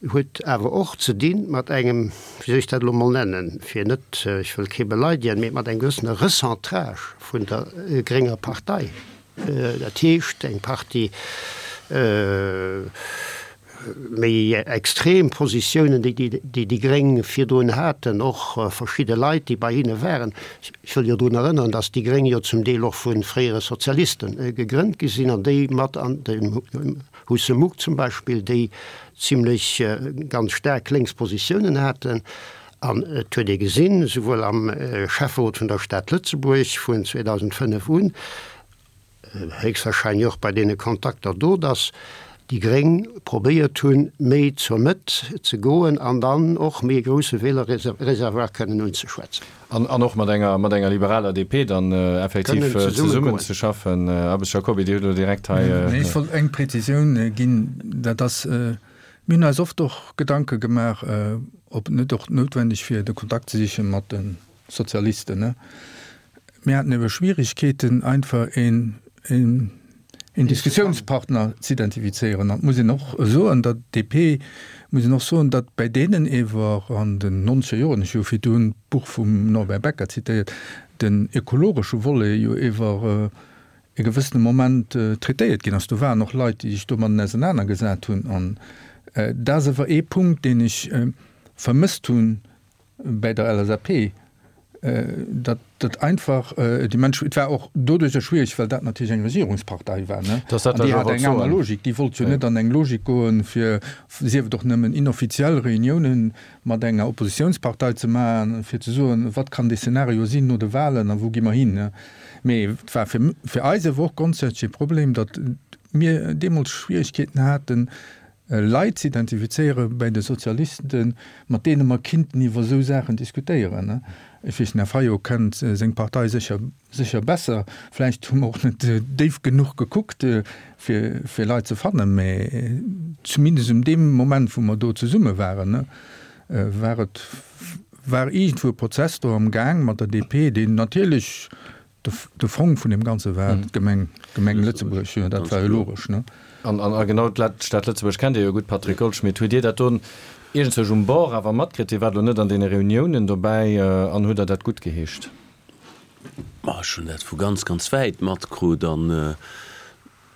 huet awer och ze dinn mat engem, wéi soll ech dat elo mol nennen, fir net, ech wëll kee beleidegen, mee mat engem gewëssene Recentrage vun der grénger Partei. Dat heescht, eng Partie méi extrem Positiounen, déi déi déi Gréng virdrun haten, och verschidde Leit, déi bei hinne waren, ech wëll jo drun erënneren, datt déi Gréng jo zum Deel och vu fréiere Sozialiste gegrënnt gi sinn an déi mat an dem Husse Muck zum Beispill, déi zimlech ganz staark lénks Positiounen haten. An et huet ee gesinn, souwuel am Schäfferot vun der Stad Lëtzebuerg vun zweedausendfënnef un, héchstwahrscheinlech och bei deene Kontakter do, datt déi Gréng probéiert hunn, méi zur Mëtt ze goen an dann och méi e grousse Wielerreservoir kënnen unzeschwätzen. An och mat enger, mat enger liberaler D P dann effektiv zesummen ze schaffen. Abbes Jacoby, Dir hutt elo direkt hei. Nee, ech wollt eng Präzisioun ginn, dat ass, mir hunn eis oft och Gedanke gemaach, ob et net och noutwendeg wier, de Kontakt ze siche mat de Sozialisten. Mir haten ebe Schwierigkeeten, einfach een, een, een Diskussionspartner ze identifizéieren. An et muss een och soen, datt d'D P, muss een och soen, datt bei deenen ewer an den nonzeger Joren, ech hu virdrun d'Buch vum Norbert Becker zitéiert, den ökologesche Volet jo ewer e gewëssene Moment traitéiert ginn ass. Do waren och Leit, déi sech domatten ausenanergesat hunn. An dat ass ewer ee Punkt, deen ech vermësst hunn bei der L S A P, datt dat einfach déi Mënsch, et war och doduercher schwierig, well dat natierlech eng Regierungspartei war, ne? An déi hat eng aner Logik, déi wollt jo net an eng Logik goen, fir, sief et och nëmmen inoffiziell Reuniounen mat enger Oppositionspartei ze maachen, fir ze soen, wat kann dee Szenario sinn no de Wahlen a wou gi mer hin, ne? Mee et war fir, fir eis awer och grondsätzlech e Problem, datt mir deemools Schwierigkeeten haten, Leit ze identifizéiere bei de Sozialisten, mat deene mer kinnten iwwer esou Saachen diskutéieren. Ech weess, den Här Fayot kennt seng Partei sécher, sécher besser. Vläicht hu mer och net déif genuch gekuckt, fir, fir Leit ze fannen, mä zumindest um deem Moment, wou mer do zesumme waren, war et, war iergendwou e Prozess do am Gaang mat der D P, deen natierlech de Fong vun deem Ganze war, d'Gemeng, d'Gemeng Lëtzebuerg, jo, dat war jo logesch, ne? An, an, a genau d'Stad Lëtzebuerg kennt Dir jo gutt, Patrick Goldschmidt. Hutt Dir dat do iergendzwousch um Bord awer matkritt? Dir waart elo net an deene Reuniounen dobäi an hutt Der dat guttgeheescht? Ma ech hunn dat vu ganz, ganz wäit matkrut an,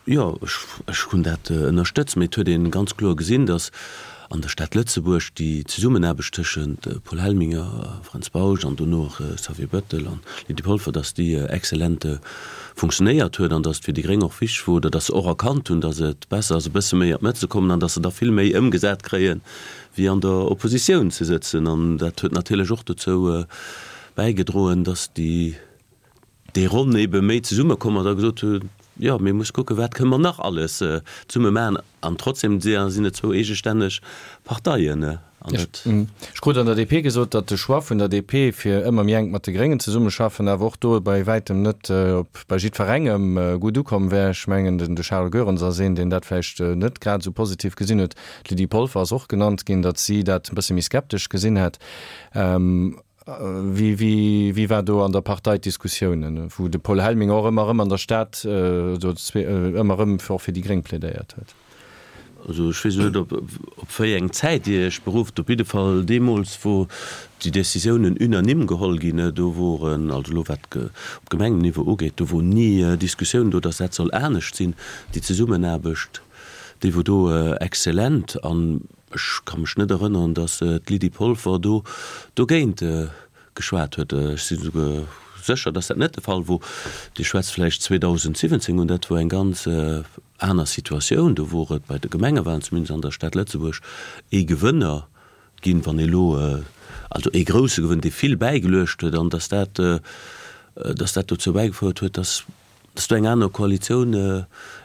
jo, ech, ech hunn dat ënnerstëtzt. Mee et huet ee ganz kloer gesinn, datt an der Stad Lëtzebuerg déi Zesummenaarbecht tëschent Paul Helminger, Fränz Bausch an dono och Xavier Bettel an Lydie Polfer, datt déi exzellent funktionéiert huet an datt et fir déi Gréng och wichteg wor oder datt se och erkannt hunn, datt et besser ass e bësse méi an d'Mëtt ze kommen an datt se da vill méi ëmgesat kréien, wéi an der Oppositioun ze sëtzen. An dat huet natierlech och dozou bäigedroen, datt déi déi Ronn ebe méi zesummekomm ass a gesot hunn, jo, mir musse kucken, wat kënne mer nach alles zesumme maachen. An trotzdem sinn et zwou eegestänneg Parteien. An dat. Ech krut an der D P gesot, datt de Choix vun der D P, fir ëmmer méi enk mat de Gréngen zesummeschaffen, awer och do bei wäitem net op bei jiddwerengem gutt ukomm wär. Ech mengen, den de Charles Goerens ass een, deen dat vläicht net grad esou positiv gesinn huet. D'Lydie Polfer ass och genannt ginn, datt si dat e bësse méi skeptesch gesinn hätt. Wéi, wéi, wéi war do an der Partei d'Diskussiounen, wou de Paul Helminger och ëmmer erëm an der Stad do ëmmer erëm och fir déi Gréng plädéiert huet? Also ech weess net, ob op wéi eng Zäit Dir Iech berufft. Op jidde Fall deemools, wou déi Décisiounen unanime geholl ginn, do woren, also elo wat op Gemengenniveau ugeet, do wor ni Diskussioun do, datt dat soll anescht sinn, déi Zesummenaarbecht. déi wor do exzellent an ech ka mech net erënneren, datt d'Lydie Polfer do dogéint geschwat huet. Ech si souguer sécher, datt dat net de Fall wor. Dir schwätzt vläicht zweedausendsiwwenzéng un, dat wor eng ganz aner Situatioun. Do wor et bei de Gemengewahlen, zumindest an der Stad Lëtzebuerg, ee Gewënner ginn, wann ee lo, also ee grousse Gewënn, dee vill bäigeluecht huet, an datt dat, datt dat dozou bäigefouert huet, datt, datt do eng aner Koalitioun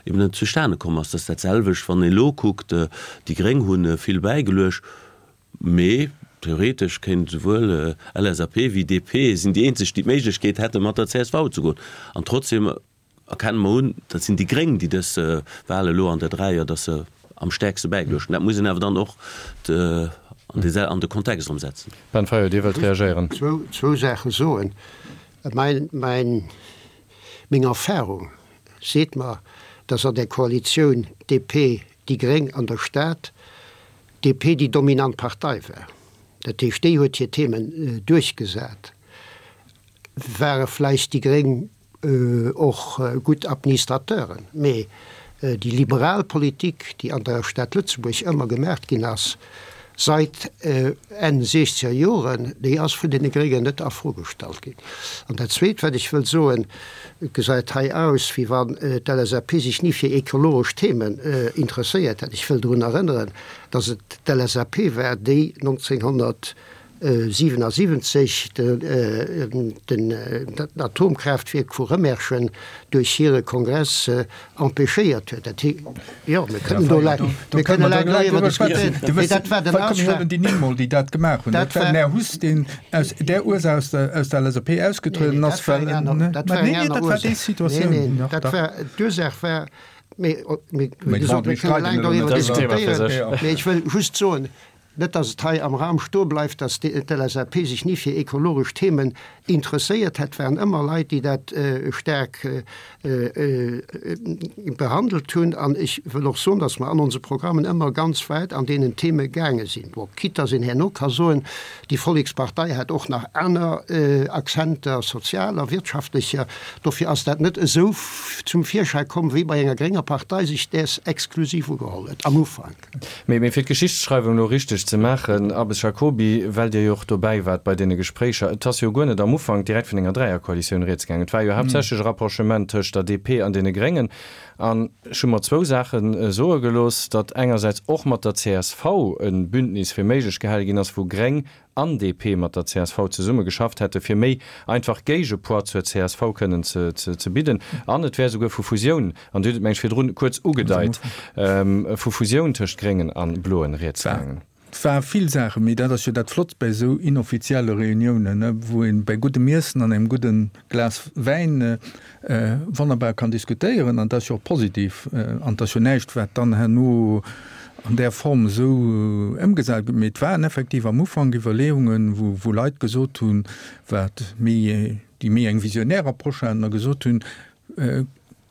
eben net zustane komm ass. Dat ass dat selwecht, wann ee lo kuckt, déi Gréng hu vill bäigeluecht, mee theoretesch kéint esouwuel LSAP wéi D P sinn déi eenzeg, déi d'Méiglechkeet hätten, mat der C S V ze goen. An trotzdem erkenne mer un, dat sinn déi Gréng, déi dës Wahl elo an der Dräier, datt se am stäerkste bäigeluecht hunn. Dat muss een awer dann och an de Kontext erëm setzen. Ben Fayot, Dir wëllt reagéieren. Zwou, zwou Saache soen. Mein, mein, meng Erfahrung seet mer, dass an der Koalitioun D P, déi Gréng an der Stad, D P déi dominant Partei war. Dat heescht, déi huet hir Themen duerchgesat. Ware vläicht déi Gréng och gutt Administrateuren, mee déi liberal Politik, déi an der Stad Lëtzebuerg ëmmer gemaacht ginn ass, seit Enn siechzeger Joren, déi ass vun deene Gréngen net a Fro gestallt ginn. An dat Zweet, wat ech wëll soen, Et gesäit hei aus, wéi wann d'L S A P sech ni fir ekologesch Themen interesséiert hätt. Ech wëll drun erënneren, dass et d'L S A P war, déi nonzénghonnertsiwenasiwwenzeg den Atomkraaftwierk vu Rëmerschen duerch hire Kongress empêchéiert huet. Dat hee, jo, mir kënnen do laang, mir kënne laang doriwwer diskutéieren, mee dat war den Ausschlag. Déi Nimm, déi dat gemaach hunn, dat war den Här Huss, deen aus där Ursaach aus der, aus der L S A P ausgetrueden ass, well, Dat war eng aner Ursaach. Nee, nee, dat war, d'Ursaach war, mee, mee, wéi gesot, mir kënne laang doriwwer diskutéieren, mee ech wëll just soen, net dass et hei am Raum stoe bleift, dass d'L S A P sech ni fir ekologesch Themen interesséiert hätt, waren ëmmer Leit, déi dat staark behandelt hunn. An ech wëll och soen, dass mer an onse Programmen ëmmer ganz wäit an deenen Theme gaange sinn. Bon, quitte dass een herno ka soen, déi Vollekspartei hat och nach aner Accenter, sozialer, wirtschaftlecher. Dofir ass dat net esou zum Virschäi komm, wéi bei enger grénger Partei sech däers exklusiv ugeholl huet am Ufank. Mee fir d'Geschichtsschreiwung elo richteg ze maachen, Abbes Jacoby, well Dir jo och dobäi waart bei deene Gespréicher, et ass jo guer net am Ufank direkt vun enger Dräierkoalitioun rieds gaangen. Et war jo haaptsächlech e Rapprochement tëscht der D P an deene Gréngen. An ech hu mer zwou Saache soe gelooss, datt engersäits och mat der C S V e Bündnis fir méiglech gehale ginn ass, wou Gréng an D P mat der C S V zesumme geschafft hätte fir méi einfach Géigepoids zur C S V kënnen ze ze bidden. An et wär esouguer vu Fusioun, an Dir hutt et meng ech virdrun kuerz ugedeit, vu Fusioun tëscht Gréngen an Bloen rieds gaangen. Et war vill Saachen, mee dat ass jo dat Flotts bei esou inoffizielle Reuniounen, wou een bei guddem Iessen an engem gudden Glas Wäin wonnerbar kann diskutéieren. An dat ass jo och positiv. An et ass jo näischt, wat dann herno an där Form esou ëmgesat gëtt. Mee et waren effektiv am Ufank Iwwerleeungen, wou wou Leit gesot hunn, wat méi, déi méi eng visionär Approche haten a gesot hunn,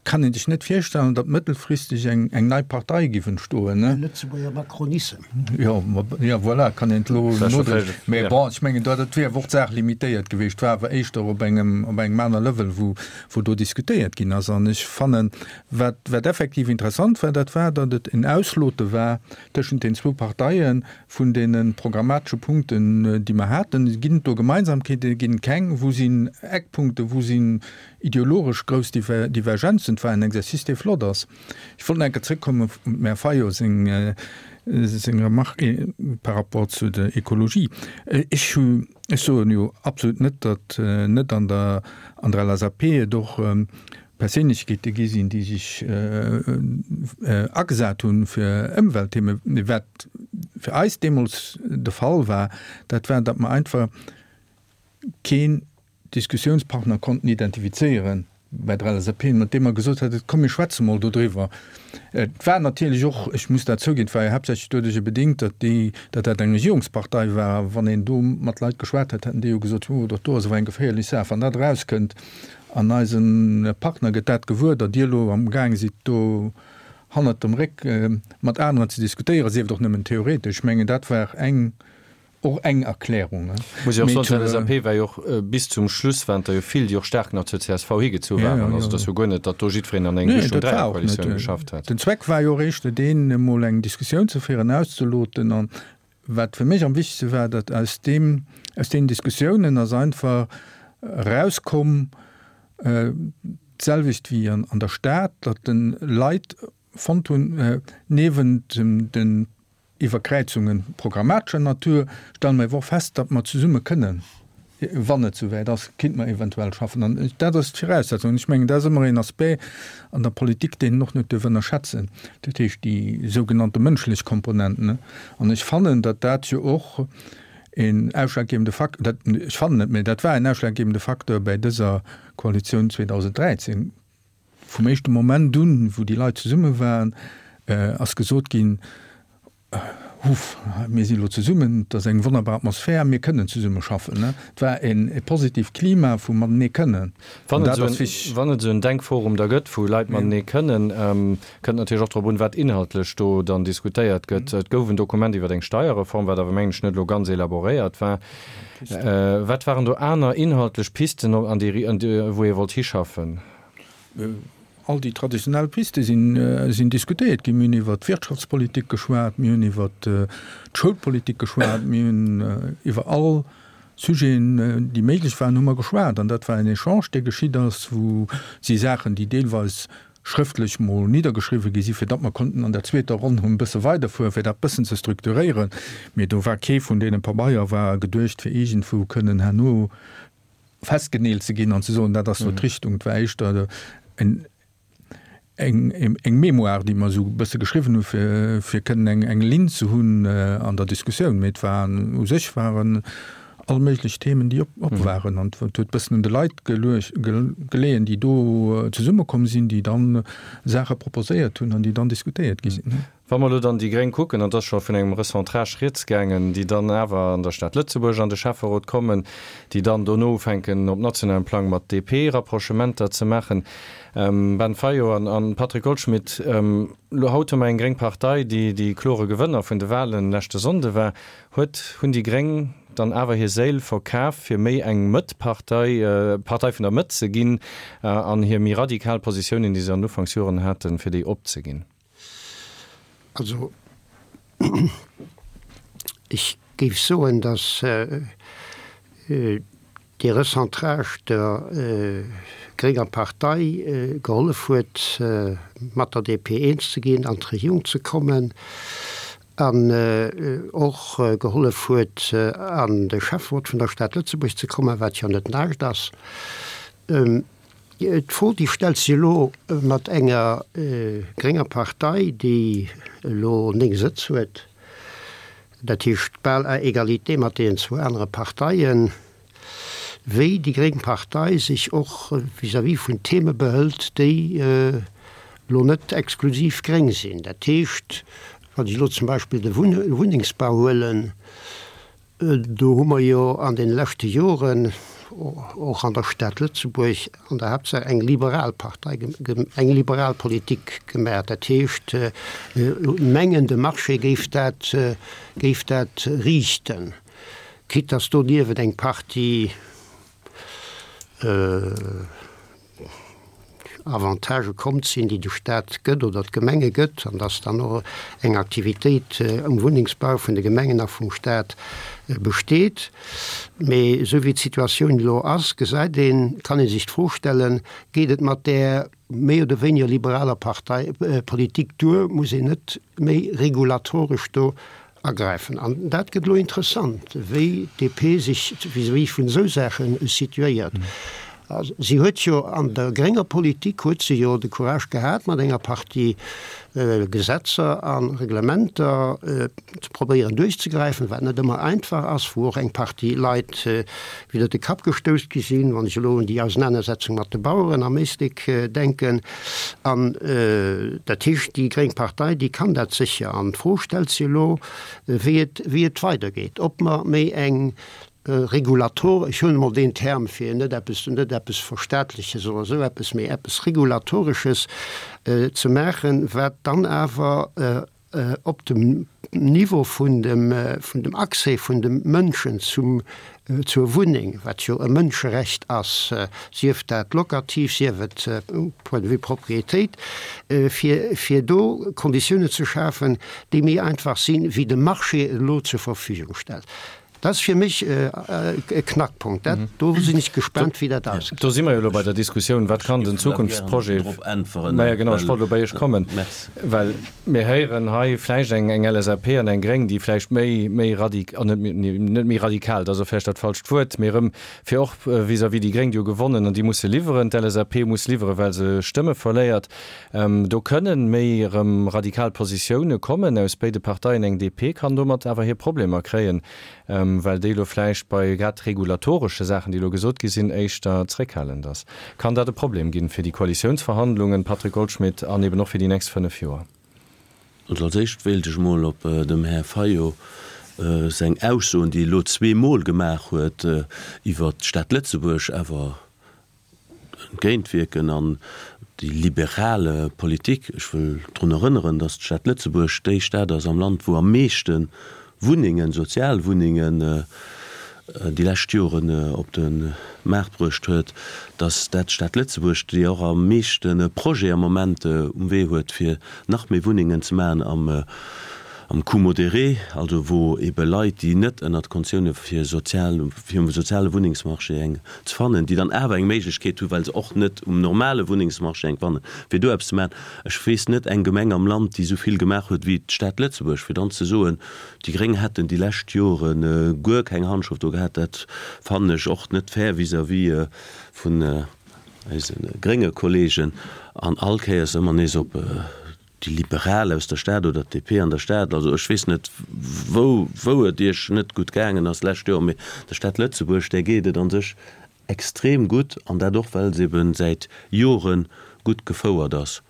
Kann een sech net virstellen, datt mëttelfristeg eng eng nei Partei giff entstoen, ne? De Lëtzebuerger Macronissem. Jo, ma jo, voilà, kann een et elo nodréinen. Mä bon, ech mengen, dat wier awer och d'Saach limitéiert gewiescht, war awer éischter op engem op engem aner Level, wou wou do diskutéiert ginn ass. An ech fannen, wat wat effektiv interessant war, dat war, datt et en Auslote war tëschent den zwou Parteie vun deene programmatesche Punkten, déi mer haten. Ginn et do Gemeinsamkeeten, ginn et keng? Wou sinn Eckpunkte, wou sinn ideologesch grouss Divergenzen? Et war en Exercice, dee flott ass. Ech wollt nach eng Kéier zrëckkommen op dem Här Fayot seng, seng Remarque par rapport zu der Ekologie. Ech hu, ech soen jo absolut net, datt net an der, an der L S A P et och Perséinlechkeete gi sinn, déi sech agesat hunn fir Ëmweltthemen. Mee wat fir eis deemools de Fall war, dat war, datt mer einfach keen Diskussiounspartner konnten identifizéieren bei der L S A P, mat deem mer gesot hätten, komm mir schwätze mol dodriwwer. Et war natierlech och, ech muss dat zouginn, et war jo haaptsächlech doduercher bedéngt, datt déi, datt dat eng Regierungspartei war. A wann een do mat Leit geschwat hätt, hätten déi jo gesot, oh, dat do ass awer eng geféierlech Saach, wann dat erauskënnt an eise Partner gëtt dat gewuer, datt Dir elo amgaange sidd do hannert dem Réck mat aneren ze diskutéieren, sief et och nëmmen theoretesch. Ech mengen, dat war eng, och eng Erklärung. Muss jo och soen, d'LSAP war jo och bis zum Schluss, waren der jo vill, déi och staark nach zur csv higezu waren. Also et ass jo guer net, datt do jiddwereen an eng Richtung Dräierkoalitioun geschafft hätt. Den Zweck war jo och éischter deen, emol eng Diskussioun ze féieren, auszeloten. An wat fir mech am wichtegste war, datt aus deem, aus deenen Diskussiounen ass einfach erauskomm, d'selwecht wéi an der Stad, datt de Leit fonnt hunn, niewent den Iwwerkräizunge programmatescher Natur, stelle mer awer och fest, datt mer zesumme kënnen, wann et souwäit ass, kéinte mer eventuell schaffen. An dat ass d'Viraussetzung. An ech mengen, dat ass ëmmer een Aspect an der Politik, deen een och net duerf ënnerschätzen, dat heescht déi sougenannte mënschlech Komponent. An ech fannen, datt dat jo och een ausschlaggebende Fakt, dat, ech fannen net, mä dat war en ausschlaggebende Facteur bäi dëser Koalitioun zweedausenddräizéng. Vum éischte Moment un, wou déi Leit zesumme waren, ass gesot ginn, Huff, mir si lo zesummen, et ass eng wonnerbar Atmosphär, mir kënnen zesumme schaffen. Et war e positivt Klima vu matenee kënnen. Wann et esou en Denkforum da gëtt, wou Leit matenee kënnen, kënnt natierlech och drop un, wat inhaltlech do dann diskutéiert gëtt. Et gouf en Dokument iwwer eng Steierreform, wat awer, mengen ech, net elo ganz elaboréiert war. Wat waren do aner inhaltlech Pisten, an déi, wou ee wollt hischaffen? All déi traditionell Piste sinn diskutéiert ginn. Mir hunn iwwer d'Wirtschaftspolitik geschwat, mir hunn iwwer d'Schoulpolitik geschwat, mir hunn iwwer all Sujeten, déi méiglech waren, hu mer geschwat. An dat war en Echange, dee geschitt ass, wou si Saachen, déi deelweis schrëftlech mol niddergeschriwwen gi sinn, fir datt mer konnten an der zweeter Ronn e bësse weiderfueren, fir dat bëssen ze strukturéieren. Mee do war kee vun deene Pabeier war geduecht, fir iergendwou kënnen herno festgeneelt ze ginn an ze soen, dat ass elo d'Richtung. Et war éischter en eng eng Mémoire, déi mer esou e bësse geschriwwen hu fir fir kënnen eng eng Linn ze hunn an der Diskussioun. Mee et waren u sech waren all méiglech Themen, déi op op waren an et huet bëssen un de Leit geluecht geleeën, déi do zesummekomm sinn, déi dann Saache proposéiert hunn an déi dann diskutéiert gi sinn. Wa mer elo dann déi Gréng kucken, an et ass scho vun engem Recentrage rieds gaangen, déi dann awer an der Stad Lëtzebuerg an de Schäfferot kommen, déi dann dono ufänken op nationalem Plang mat D P Rapprochementer ze maachen. Ben Fayot an Patrick Goldschmidt, elo haut hu mer eng gréng Partei, déi déi klore Gewënner vun de Wahlen leschte Sonnde war. Huet, hunn déi Gréng dann awer hir Séil verkaf, fir méi eng Mëtt-Partei, Partei vun der Mëtt ze ginn an hir méi radikal Positiounen, déi se an den Ufanksjoren haten, fir déi opzeginn? Also ech géif soen, datt dee Recentrage der grénger Partei gehollef huet, mat der D P eens ze ginn, an d'Regierung ze kommen an och gehollef huet, an de Schäfferot vun der Stad Lëtzebuerg ze kommen, wat jo net näischt ass. D'Fro, déi stellt sech elo mat enger grénger Partei, déi elo néng Sëtz huet, dat heescht bal à égalité mat deenen zwou anere Parteien, wéi déi gréng Partei sech och vis-à-vis vun Theme behëlt, déi elo net exklusiv gréng sinn. Dat heescht, wann ech elo zum Beispill de Wunnengsbau huelen, do hu mer jo an deene leschte Joren och an der Stad Lëtzebuerg an der Haaptsaach eng liberal Partei, eng liberal Politik gemaach. Dat heescht, mengen de Marché géif dat, géif dat riichten, quitte dass doniewent eng Partie Avantagë komm sinn, déi de Staat gëtt oder d'Gemenge gëtt, an dass dann och eng Aktivitéit um Wunnengsbau vun de Gemengen a vum Staat besteet. Mee esou wéi d'Situatioun elo ass, gesäit een, kann ee sech d'Fro stellen, Geet et mat där méi oder wéiniger liberaler Partei, Politik duer? Muss een net méi regulatoresch do agräifen? An dat gëtt elo interessant, wéi d'D P sech vis-à-vis vun esou Saache situéiert. Si huet jo an der grénger Politik huet se jo de Courage gehat, mat enger Partie Gesetzer a Reglementer ze probéieren duerchzegräifen, wat net ëmmer einfach ass, wou och eng Partie Leit widder de Kapp gestouss gi sinn, wann ech elo un déi Ausenanersetzung mat de Baueren am Éislek denken. An dat heescht, déi gréng Partei, déi kann dat sécher. An d'Fro stellt sech elo, wéi et, wéi et weidergeet, ob mer méi eng Regulator, ech huelen emol deen Term, fir net eppes, net eppes Verstaatleches oder esou eppes, mee eppes Regulatoresches ze maachen, wat dann awer op dem Niveau vun dem, vun dem Accès vun de Mënschen zum, zur Wunneng, wat jo e Mënscherecht ass, sief dat lokativ, sief et point de vue Propriétéit, fir, fir do Konditiounen ze schafen, déi méi einfach sinn, wéi de Marché et elo zur Verfügung stellt. Dat ass fir mech e Knackpunkt. Dat, do sinn ech gespaant, wéi dat ausgeet. Do si mer jo elo bei der Diskussioun, Wat kann den Zukunftsprojet. Maja, genau, ech wollt elo bei Iech kommen, well mir héieren hei vläicht eng, eng LSAP an eng Gréng, déi vläicht méi, méi radik-, an net, net méi radikal, dat ass och vläicht dat falscht Wuert, mee erëm fir och vis-à-vis déi Gréng, déi hu gewonnen an déi musse liwweren, d'LSAP muss liwweren, well se Stëmme verléiert. Do kënnen méi erëm radikal Positioune kommen aus béide Parteien. Eng DP kann domat awer hir Problemer kréien, well déi elo vläicht bei grad regulatoresche Saachen, déi elo gesot gi sinn, éischter zréckhalend ass. Kann dat e Problem ginn fir déi Koalitiounsverhandlungen, Patrick Goldschmidt, an eben och fir déi nächst fënnef Joer? Also als éischt wéilt ech emol op dem Här Fayot seng Aussoen, déi e elo zweemol gemaach huet iwwert d'Stad Lëtzebuerg, awer entgéintwierken an déi liberal Politik. Ech wëll drun erënneren, datt d'Stad Lëtzebuerg déi Stad ass am Land, wou am meeschte Wunnengen, Sozialwunnengen, déi lescht Joren op de Maart bruecht huet, datt dat d'Stad Lëtzebuerg, déi och am meeschte Projet am Moment um Wee huet, fir nach méi Wunnengen ze maachen am am Coût modéré, also wou ebe Leit, déi net ënnert Konditioune fir sozial, fir um soziale Wunnengsmarché eng ze fannen, déi dann awer eng Méiglechkeet hu well se och net um normale Wunnengsmarché eng fannen, fir do eppes ze maachen. Ech weess net eng Gemeng am Land, déi esou vill gemaach huet wéi d'Stad Lëtzebuerg. Fir dann ze soen, déi Gréng hätten déi lescht Jore guer keng Handschrëft do gehat, dat fannen ech och net fair vis-à-vis vun eise grénge Kollegen. An all Kéiers ëmmer nees op déi Liberal aus der Stad oder d'DP an der Stad, also ech weess net, wou, wou et Iech net gutt gaangen ass d'lescht Joer, mee der Stad Lëtzebuerg, där geet et a sech extrem gutt, an dat och, well se ebe säit Jore gutt gefouert ass.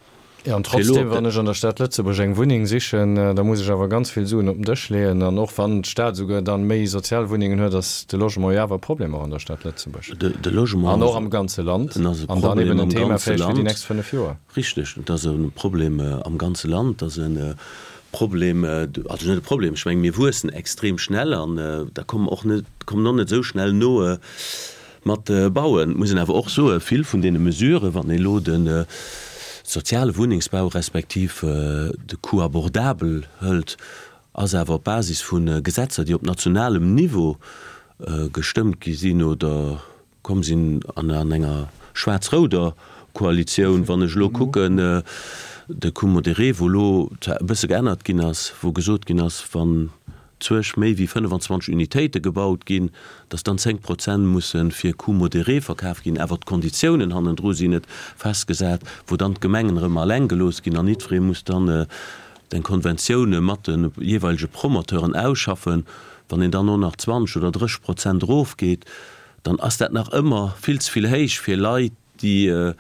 Jo, an trotzdem, wann ech an der Stad Lëtzebuerg eng Wunneng sichen, da muss ech awer ganz vill Suen op den Dësch leeën. An och wann d'Stad esouguer dann méi Sozialwunnengen huet, ass de Logement jo awer e Problem och an der Stad Lëtzebuerg. De Logement an och am ganze Land. An dann eben en Thema vläicht fir déi nächst fënnef Joer. Richteg, et ass e Problem am ganze Land. Et ass e Problem, also net e Problem, ech menge mir wuessen extrem schnell an da kommen och net, kommen och net esou schnell no mat bauen. Et muss een awer och soen, vill vun deene Mesuren, wann een elo de soziale Wunnengsbau respektiv de Coût abordable hëlt, ass awer op Basis vu Gesetzer, déi op nationalem Niveau gestëmmt gi sinn oder komm sinn an enger schwaarz-rouder Koalitioun. Wann ech elo kucken, de Coût modéré, wou elo zwar e bësse geännert ginn ass, wou gesot ginn ass, wann zuerg méi wéi fënnefenzwanzeg Unitéite gebaut ginn, dass dann zéng Prozent musse fir Coût modéré verkaf ginn, awer d'Konditiounen hannendru sinn net festgesat, wou dann d'Gemengen erëm alleng gelooss ginn an jiddweree muss dann eng Konventioun mat de jeeweilege Promoteuren ausschaffen. Wann een dann och nach zwanzeg oder drësseg Prozent erofgeet, dann ass dat nach ëmmer vill ze vill héich fir Leit, déi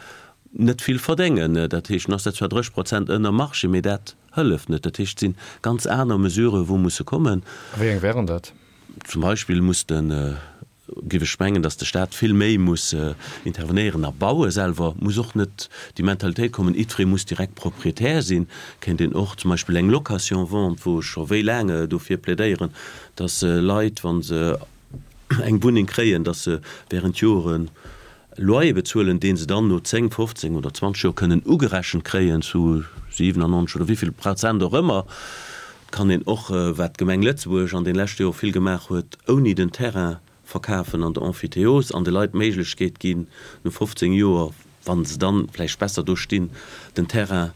net vill verdéngen. Dat heescht, dann ass dat zwar drësseg Prozent ënner Marché, mee dat hëlleft net. Dat heescht, et si ganz aner Mesuren, wou musse kommen. A wéi eng wären dat? Zum Beispill muss de, géif ech mengen, datt de Stat vill méi muss intervenéieren a baue selwer. Muss och net déi Mentalitéit kommen, jiddweree muss direkt Proprietär sinn. Kéint een och zum Beispill eng Location-vente, wou ech scho wéi laang dofir plädéieren, datt Leit, wa se eng Wunneng kréien, datt se während Joren Loyer bezuelen, dee se dann no zéng, fofzéng oder zwanzeg Joer kënnen ugerechent kréien zu siwenannonzeg oder wéi vill Prozent och ëmmer. Et kann een och, wat d'Gemeng Lëtzebuerg an den leschte Jore vill gemaach huet, ouni den Terrain verkafen an de Emphytéose an de Leit d'Méiglechkeet ginn, no fofzéng Joer, wa se dann vläicht besser do stinn, den Terrain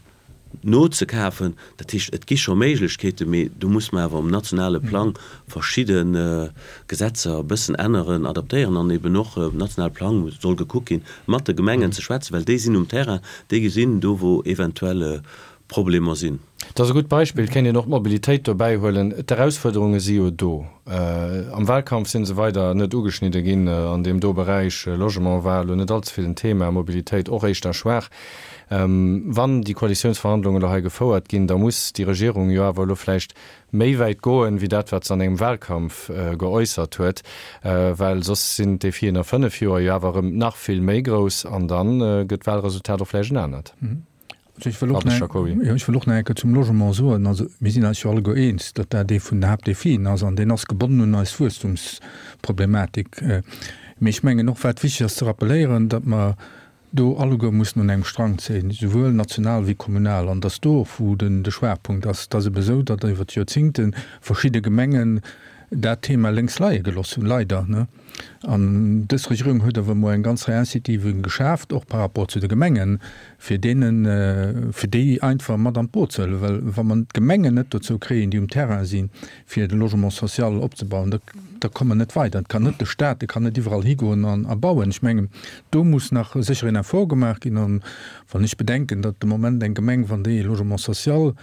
nozekafen. Dat heescht, et gi scho Méiglechkeeten, mee do muss mer awer um nationale Plang verschidde Gesetzer e bëssen änneren, adaptéieren an eben och um nationale Plang soll gekuckt ginn, mat de Gemengen ze schwätzen, well déi sinn um Terrain, déi gesinn do, wou eventuell Problemer sinn. Dat ass e gutt Beispill. Et kéint een och d'Mobilitéit dobäi huelen. D'Erausfuerderunge si jo do. Am Wahlkampf si se weider net ugeschnidde ginn an deem do Beräich. Logement war elo net allze vill en Thema, Mobilitéit och éischter schwaach. Wann déi Koalitiounsverhandlungen elo hei gefouert ginn, da muss déi Regierung jo awer elo vläicht méi wäit goen, wéi dat, wat se an engem Wahlkampf geäussert huet, well soss sinn d'Defien a fënnef Joer jo awer erëm nach vill méi grouss an da gëtt d'Wahlresultat och vläicht en anert. Ech wëll och nach, jo, ech wëll och nach eng Kéier zum Logement soen, also mir sinn eis jo alleguer eens, datt dat ee vun den Haaptdefien ass an deen ass gebonnen un eis Wuesstumsproblematik. Mee ech mengen och, wat wichteg ass ze rappeléieren, datt mer do alleguer mussen un engem Strang zéien, souwuel national wéi kommunal, an datt do och, wou den de Schwaachpunkt ass, et ass ebe esou, datt iwwer d'Joerzingte verschidde Gemengen dat Thema lénks leie geloss hunn, leider, ne. An dës Regierung huet awer emol eng ganz Rei Incitiven geschaaft, och par rapport zu de Gemengen, fir deenen, fir déi einfach mat an d'Boot ze huelen. Well wa mer d'Gemengen net dozou kréien, déi um Terrain sinn, fir de Logement social opzebauen, da, da komme mer net weider. Et kann net de Stat, dee kann net iwwerall higoen an a bauen. Ech mengen, do muss nach sécher een Effort gemaach ginn. An wann ech bedenken, datt de Moment eng Gemeng, wann déi e Logement social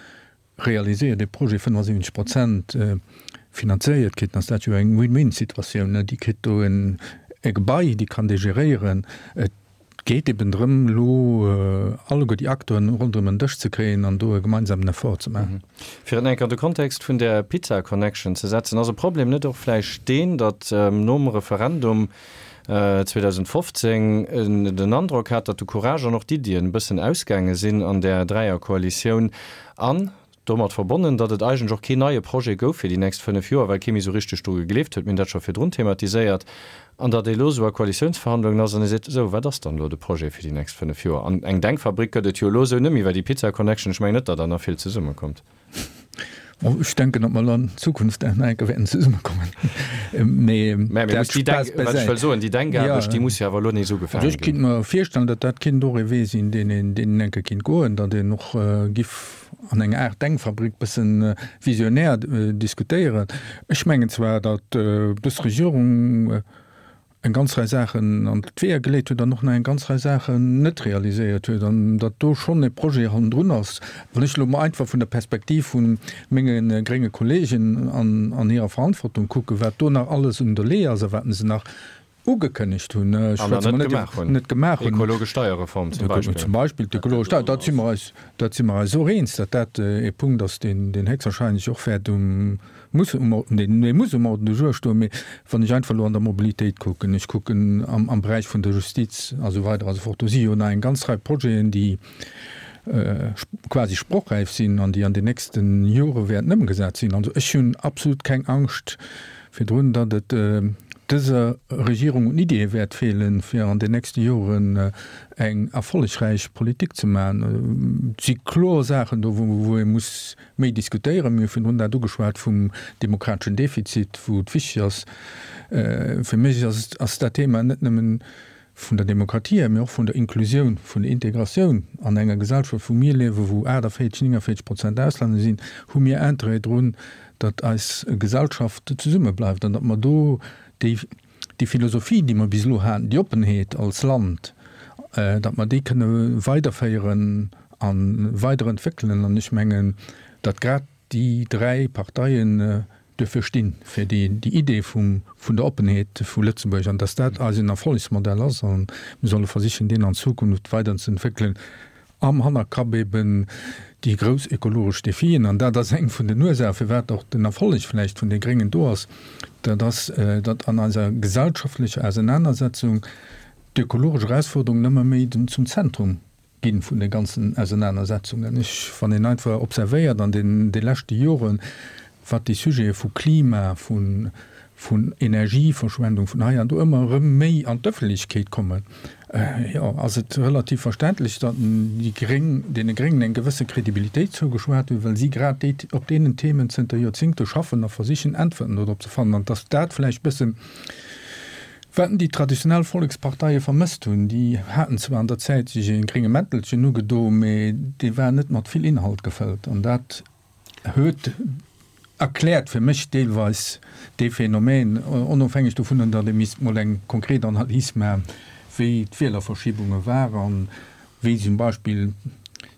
realiséiert, ee Projet fënnefensiwwenzeg Prozent finanzéiert kritt, dann ass dat jo eng Win-win-Situatioun. Déi kritt do e Gebai, déi kann dee geréieren. Et geet eben drëm, elo alleguer déi Acteuren ronderëm en Dësch ze kréien an do e gemeinsamen Effort ze maachen. Fir et enk an de Kontext vun där Pizza Connection ze setzen, ass e Problem net och vläicht deen, datt nom Referendum zweedausendfofzéng een den Androck hat, datt de Courage an och d'Iddien e bëssen ausgaange sinn an där Dräierkoalitioun an domat verbonnen, datt et eigentlech och keen neie Projet gouf fir déi nächst fënnef Joer, well kee méi esou richteg dru gegleeft huet, mir hunn dat scho virdrun thematiséiert, an datt ee elo esou a Koalitiounsverhandlungen ass an ee seet, esou, wat ass dann elo de Projet fir déi nächst fënnef Joer? An eng Denkfabrik gëtt et jo elo esou net méi, well déi Pizza Connection, ech mengen net, datt der nach vill zesummekommt. Bon, ech denken, datt mer an Zukunft nach eng Kéier wäerten zesummekommen. Mee Mä mir dat muss déi Spaass Denk, wat ech bäsäit. wëll soen, déi Denkaarbecht, Ja. déi muss jo awer elo nees Also ugefaange ech ginn. kinnt mer virstellen, datt dat kinnt och ee Wee sinn, deen een, deen een eng Kéier kinnt goen, datt een och giff an enger Aart Denkfabrik bëssen visionär diskutéieren. Ech mengen zwar, datt dës Regierung eng ganz Rei Saachen an d'Weeër geleet huet an och nach eng ganz Rei Saachen net realiséiert huet an datt do schonn e Projet hannendrun ass. Wann ech elo mol einfach vun der Perspektiv vu menge grénge Kollegen an an hirer Verantwortung kucken, wat do nach alles un der Lee ass a wat se nach ugekënnegt hunn, ech An schwätze net mol net gemaach hunn. net gemaach hunn. Ekologesch Steierreform zum Beispill. Zum Beispill d'ökologesch Steier, dat si mer eis, dat si mer eis och eens, datt dat e Punkt ass, deen deen héchstwahrscheinlech och wäert um muss um Ordre, deen muss um Ordre du jour stoen. Mee wann ech einfach elo an der Mobilitéit kucken, ech kucken am am Beräich vun der Justiz a sou weider a sou fort, do si jo nach eng ganz Rei Projeten, déi quasi sprochräif sinn an déi an den nächste Jore wäerten ëmgesat sinn. Also ech hunn absolut keng Angscht virdrun, datt et dëser Regierung un Ideeë wäert feelen, fir an den nächste Joren eng erfollegräich Politik ze maachen. Et si kloer Saachen do, wou ee muss méi diskutéieren. Mir hu virdrun dat ugeschwat vum demokrateschen Defizit, wou et wichteg ass. Fir mech ass dat Thema net nëmmen vun der Demokratie hier, mee och vun der Inklusioun, vun der Integratioun an enger Gesellschaft, wou mir liewen, wou aachtavéierzeg, néngavéierzeg Prozent Auslänner sinn, hu mir Interêt drun, datt eis Gesellschaft zesummebleift an datt mer do déi, déi Philosophie, déi mer bis elo haten, déi Oppenheet als Land, datt mer déi kënne weiderféieren a weiderentwéckelen. An ech mengen, datt grad déi dräi Parteien duerfir stinn, fir déi Idee vum, vun der Oppenheet vu Lëtzebuerg an dass dat eisen Erfollegsmodell ass a mir solle versichen, deen an Zukunft weiderzeentwéckelen, am Hannerkapp eben déi grouss ökologesch Defien. An dat ass eng vun den Ursachen, firwat och den Erfolleg vläicht vun de Gréngen do ass, dat ass, datt an eiser gesellschaftlecher Ausenanersetzung d'ökologesch Erausforderungen ëmmer méi zum Zentrum ginn vun de ganzen Ausenanersetzungen. Ech, wann een einfach observéiert an den de leschte Joren, wat déi Sujete vu Klima, vun, vun Energieverschwendung, vun hei an do ëmmer erëm méi an d'Ëffentlechkeet kommen, jo, ass et relativ verständlech, datt déi Gréng, deene Gréngen eng gewësse Kredibilitéit zougeschwat huet, well si grad déi, op deenen Themen zënter Joerzingte schaffen a versichen Äntwerten dodrop ze fannen, an datt dat vläicht bëssen, Wat déi traditionell Volleksparteie vermësst hunn, déi haten zwar an der Zäit sech e grénge Mäntelchen ugedo, mee dee war net mat vill Inhalt gefëllt. An dat huet, erkläert fir mech deelweis dee Phänomen, onofhängeg dovunner, datt ee misst mol eng konkret Analys maachen, wéi d'Wielerverschiebunge waren, wéi zum Beispill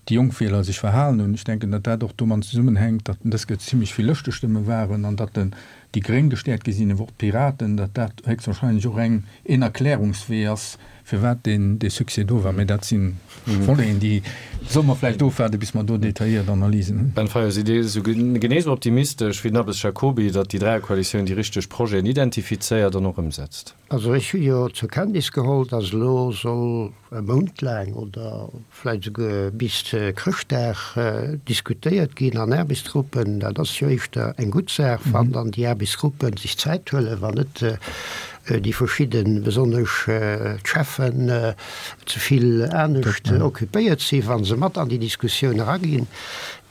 déi jonk Wieler sech verhalen hunn. Ech denken, datt dat och domat zesummenhänkt, datt dës Kéier zimlech vill Lëschtestëmme waren an datt den déi Gréng gestäerkt gi sinn, awer och d'Piraten, datt dat héchstwahrscheinlech och eng een Erklärungswee ass, firwat deen dee Succès do war. Mä dat si Voleten, déi solle mer vläicht ofwaarden, bis mer do detailléiert Analysen hunn. Ben Fayot, sidd Dir esou genee esou optimistesch wéi den Abbes Jacoby, datt déi Dräierkoalitioun déi richteg Projeten identifizéiert an och ëmsetzt? Also ech hu jo zur Kenntnis geholl, datt elo soll e Mount laang oder vläicht esouguer bis Chrëschtdag diskutéiert ginn an Aarbechtsgruppen. Dat ass jo éischter eng gutt Saach, wann dann déi Aarbechtsgruppe sech Zäit huelen, wann net déi verschidden, besonnesch d'Cheffen, ze vill anescht occupéiert sinn, wa se mat an déi Diskussioun eraginn.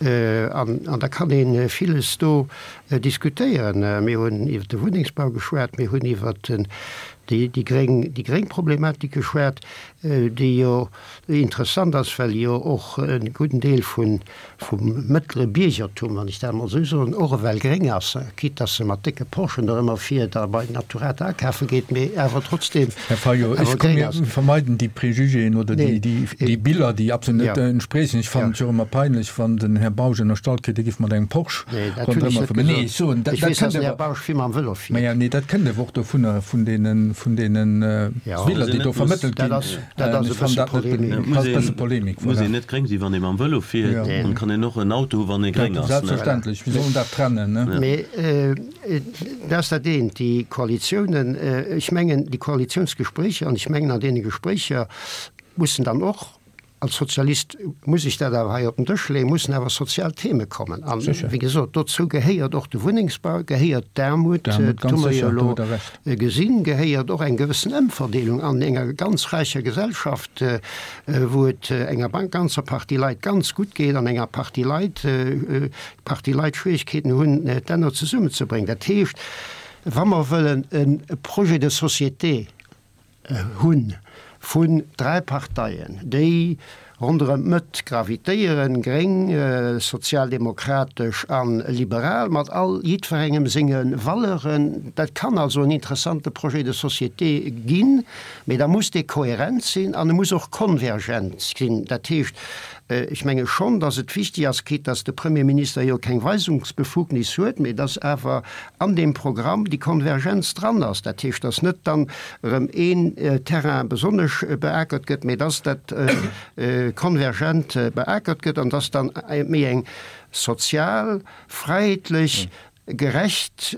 An da kann ee villes do diskutéieren. Mir hunn iwwer de Wunnengsbau geschwat, mir hunn iwwer déi gréng, déi gréng Problematik geschwat, déi jo interessant ass, well jo och e gudden Deel vun, vum mëttlere Biergertum, wann ech dat emol esou soen, och ewell gréng ass, quitte dass se mat décke Porschen do ëmmer fiert a bei Naturata akafe geet, mee awer trotzdem Här Fayot, ech komme mir vermeiden déi Préjugéen oder déi, déi, déi Biller, déi absolut net entspriechen. Ech fannen et jo ëmmer peinlech, wann den Här Bausch ënnerstallt kritt, e giff mat engem Porsche ronderëm fueren. Nee, ech soen, dat, dat kënnt awer, mä nee, dat kënnt awer och dovunner, vun deenen, vun deenen Biller, déi do vermëttelt ginn. Dat ass e bësse Polemik. Dat ass e bësse Polemik, voilà. Muss een net gréng sinn, wann ee mam Vëlo fiert, an kann een och en Auto hu wann ee gréng ass. Selbstverständlech, mir sollen dat trennen, ne? Mee dat ass dat eent, déi Koalitiounen, ech mengen déi Koalitiounsgespréicher, an ech mengen an deene Gespréicher mussen dann och, als Sozialist muss ech dat awer hei op den Dësch leeën, mussen awer sozial Theme kommen. An, wéi gesot, dozou gehéiert och de Wunnengsbau, gehéiert d'Aarmut, dat hu mer jo elo gesinn, gehéiert och eng gewëssen Ëmverdeelung an enger ganz räicher Gesellschaft, wou et enger ganzer Partie Leit ganz gutt geet an enger Partie Leit, Partie Leit Schwierigkeeten hunn, d'Enner zesummenzebréngen. Dat heescht, wa mer wëllen e Projet de société hunn vun dräi Parteien, déi ronderëm d'Mëtt gravitéieren, gréng, sozialdemokratesch a liberal, mat all jiddwerengem senge Valeuren. Dat kann also en interessante Projet de société ginn, mee da muss dee kohärent sinn an e muss och konvergent sinn. Dat heescht, ech menge schonn, datt et wichtig ass, quitte datt de Premierminister jo keng Weisungsbefugnis huet, mee datt awer an deem Programm déi Konvergenz dran ass. Dat heescht, datt net dann erëm een Terrain besonnesch beakert gëtt, mee datt dat konvergent beakert gëtt an datt dann méi eng sozial, fräiheetlech, gerecht,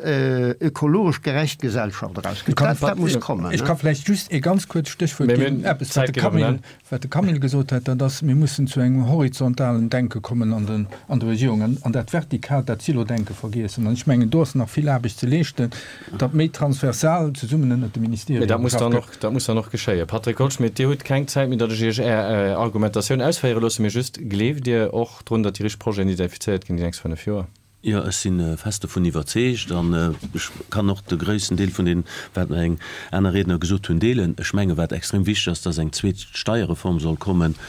ökologesch gerecht Gesellschaft erausgëtt. Dat, dat muss kommen. Ech ka vläicht just ee ganz kuerzt Stéchwuert ginn, eppes, wat de Camille, wat de Camille gesot huet, dat ass, mir mussen zu engem horizontalen Denke kommen an den, an der Regierung an, an dat vertikalt, dat Silo-Denke vergiessen. An ech mengen, do ass nach vill Aarbecht ze leeschten, datt méi transversal zesummen ënnert de Ministerien Mee dat muss geschafft dann gëtt. och, dat muss dann och geschéien. Patrick Goldschmidt, Dir hutt keng Zäit méi, datt ech Iech Är Argumentatioun ausféiere loosse, mee just, Gleeft Dir och drun, datt déi richteg Projeten identifizéiert ginn déi nächst fënnef Joer? Jo, ech si fest dovun iwwerzeegt an ech kann och de gréissten Deel vun deem, wat meng aner Riedner gesot hunn, deelen. Ech menge wat extrem wichteg ass, dass eng zweet Steierreform soll kommen,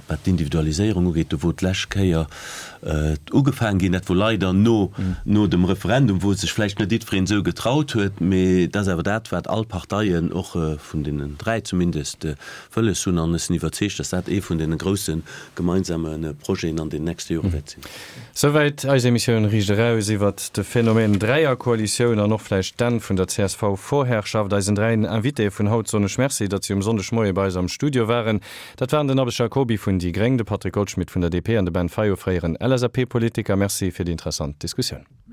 wat d'Individualiséierung ugeet, do wou d'lescht Kéier ugefaangen ginn, dat wor leider no no dem Referendum, wou sech vläicht net jiddwereen esou getraut huet, mee dat ass awer dat, wat all Parteien, och vun deenen dräi zumindest, wëlles hunn. An ech sinn iwwerzeegt, dass dat ee vun deene grousse gemeinsame Projeten an den nächste Jore wäert sinn. Souwäit eis Emissioun Riicht Eraus iwwert de Phänomen Dräierkoalitioun an och vläicht d'Enn vun der C S V-Vorherrschaft. Eisen dräi Invitéë vun haut soen ech Merci, datt si um Sonndegmoie bei eis am Studio waren. Dat waren den Abbes Jacoby vun déi gréng, de Patrick Goldschmidt vun der D P an de Ben Fayot, fréieren L S A P-Politiker. Merci fir déi interessant Diskussioun.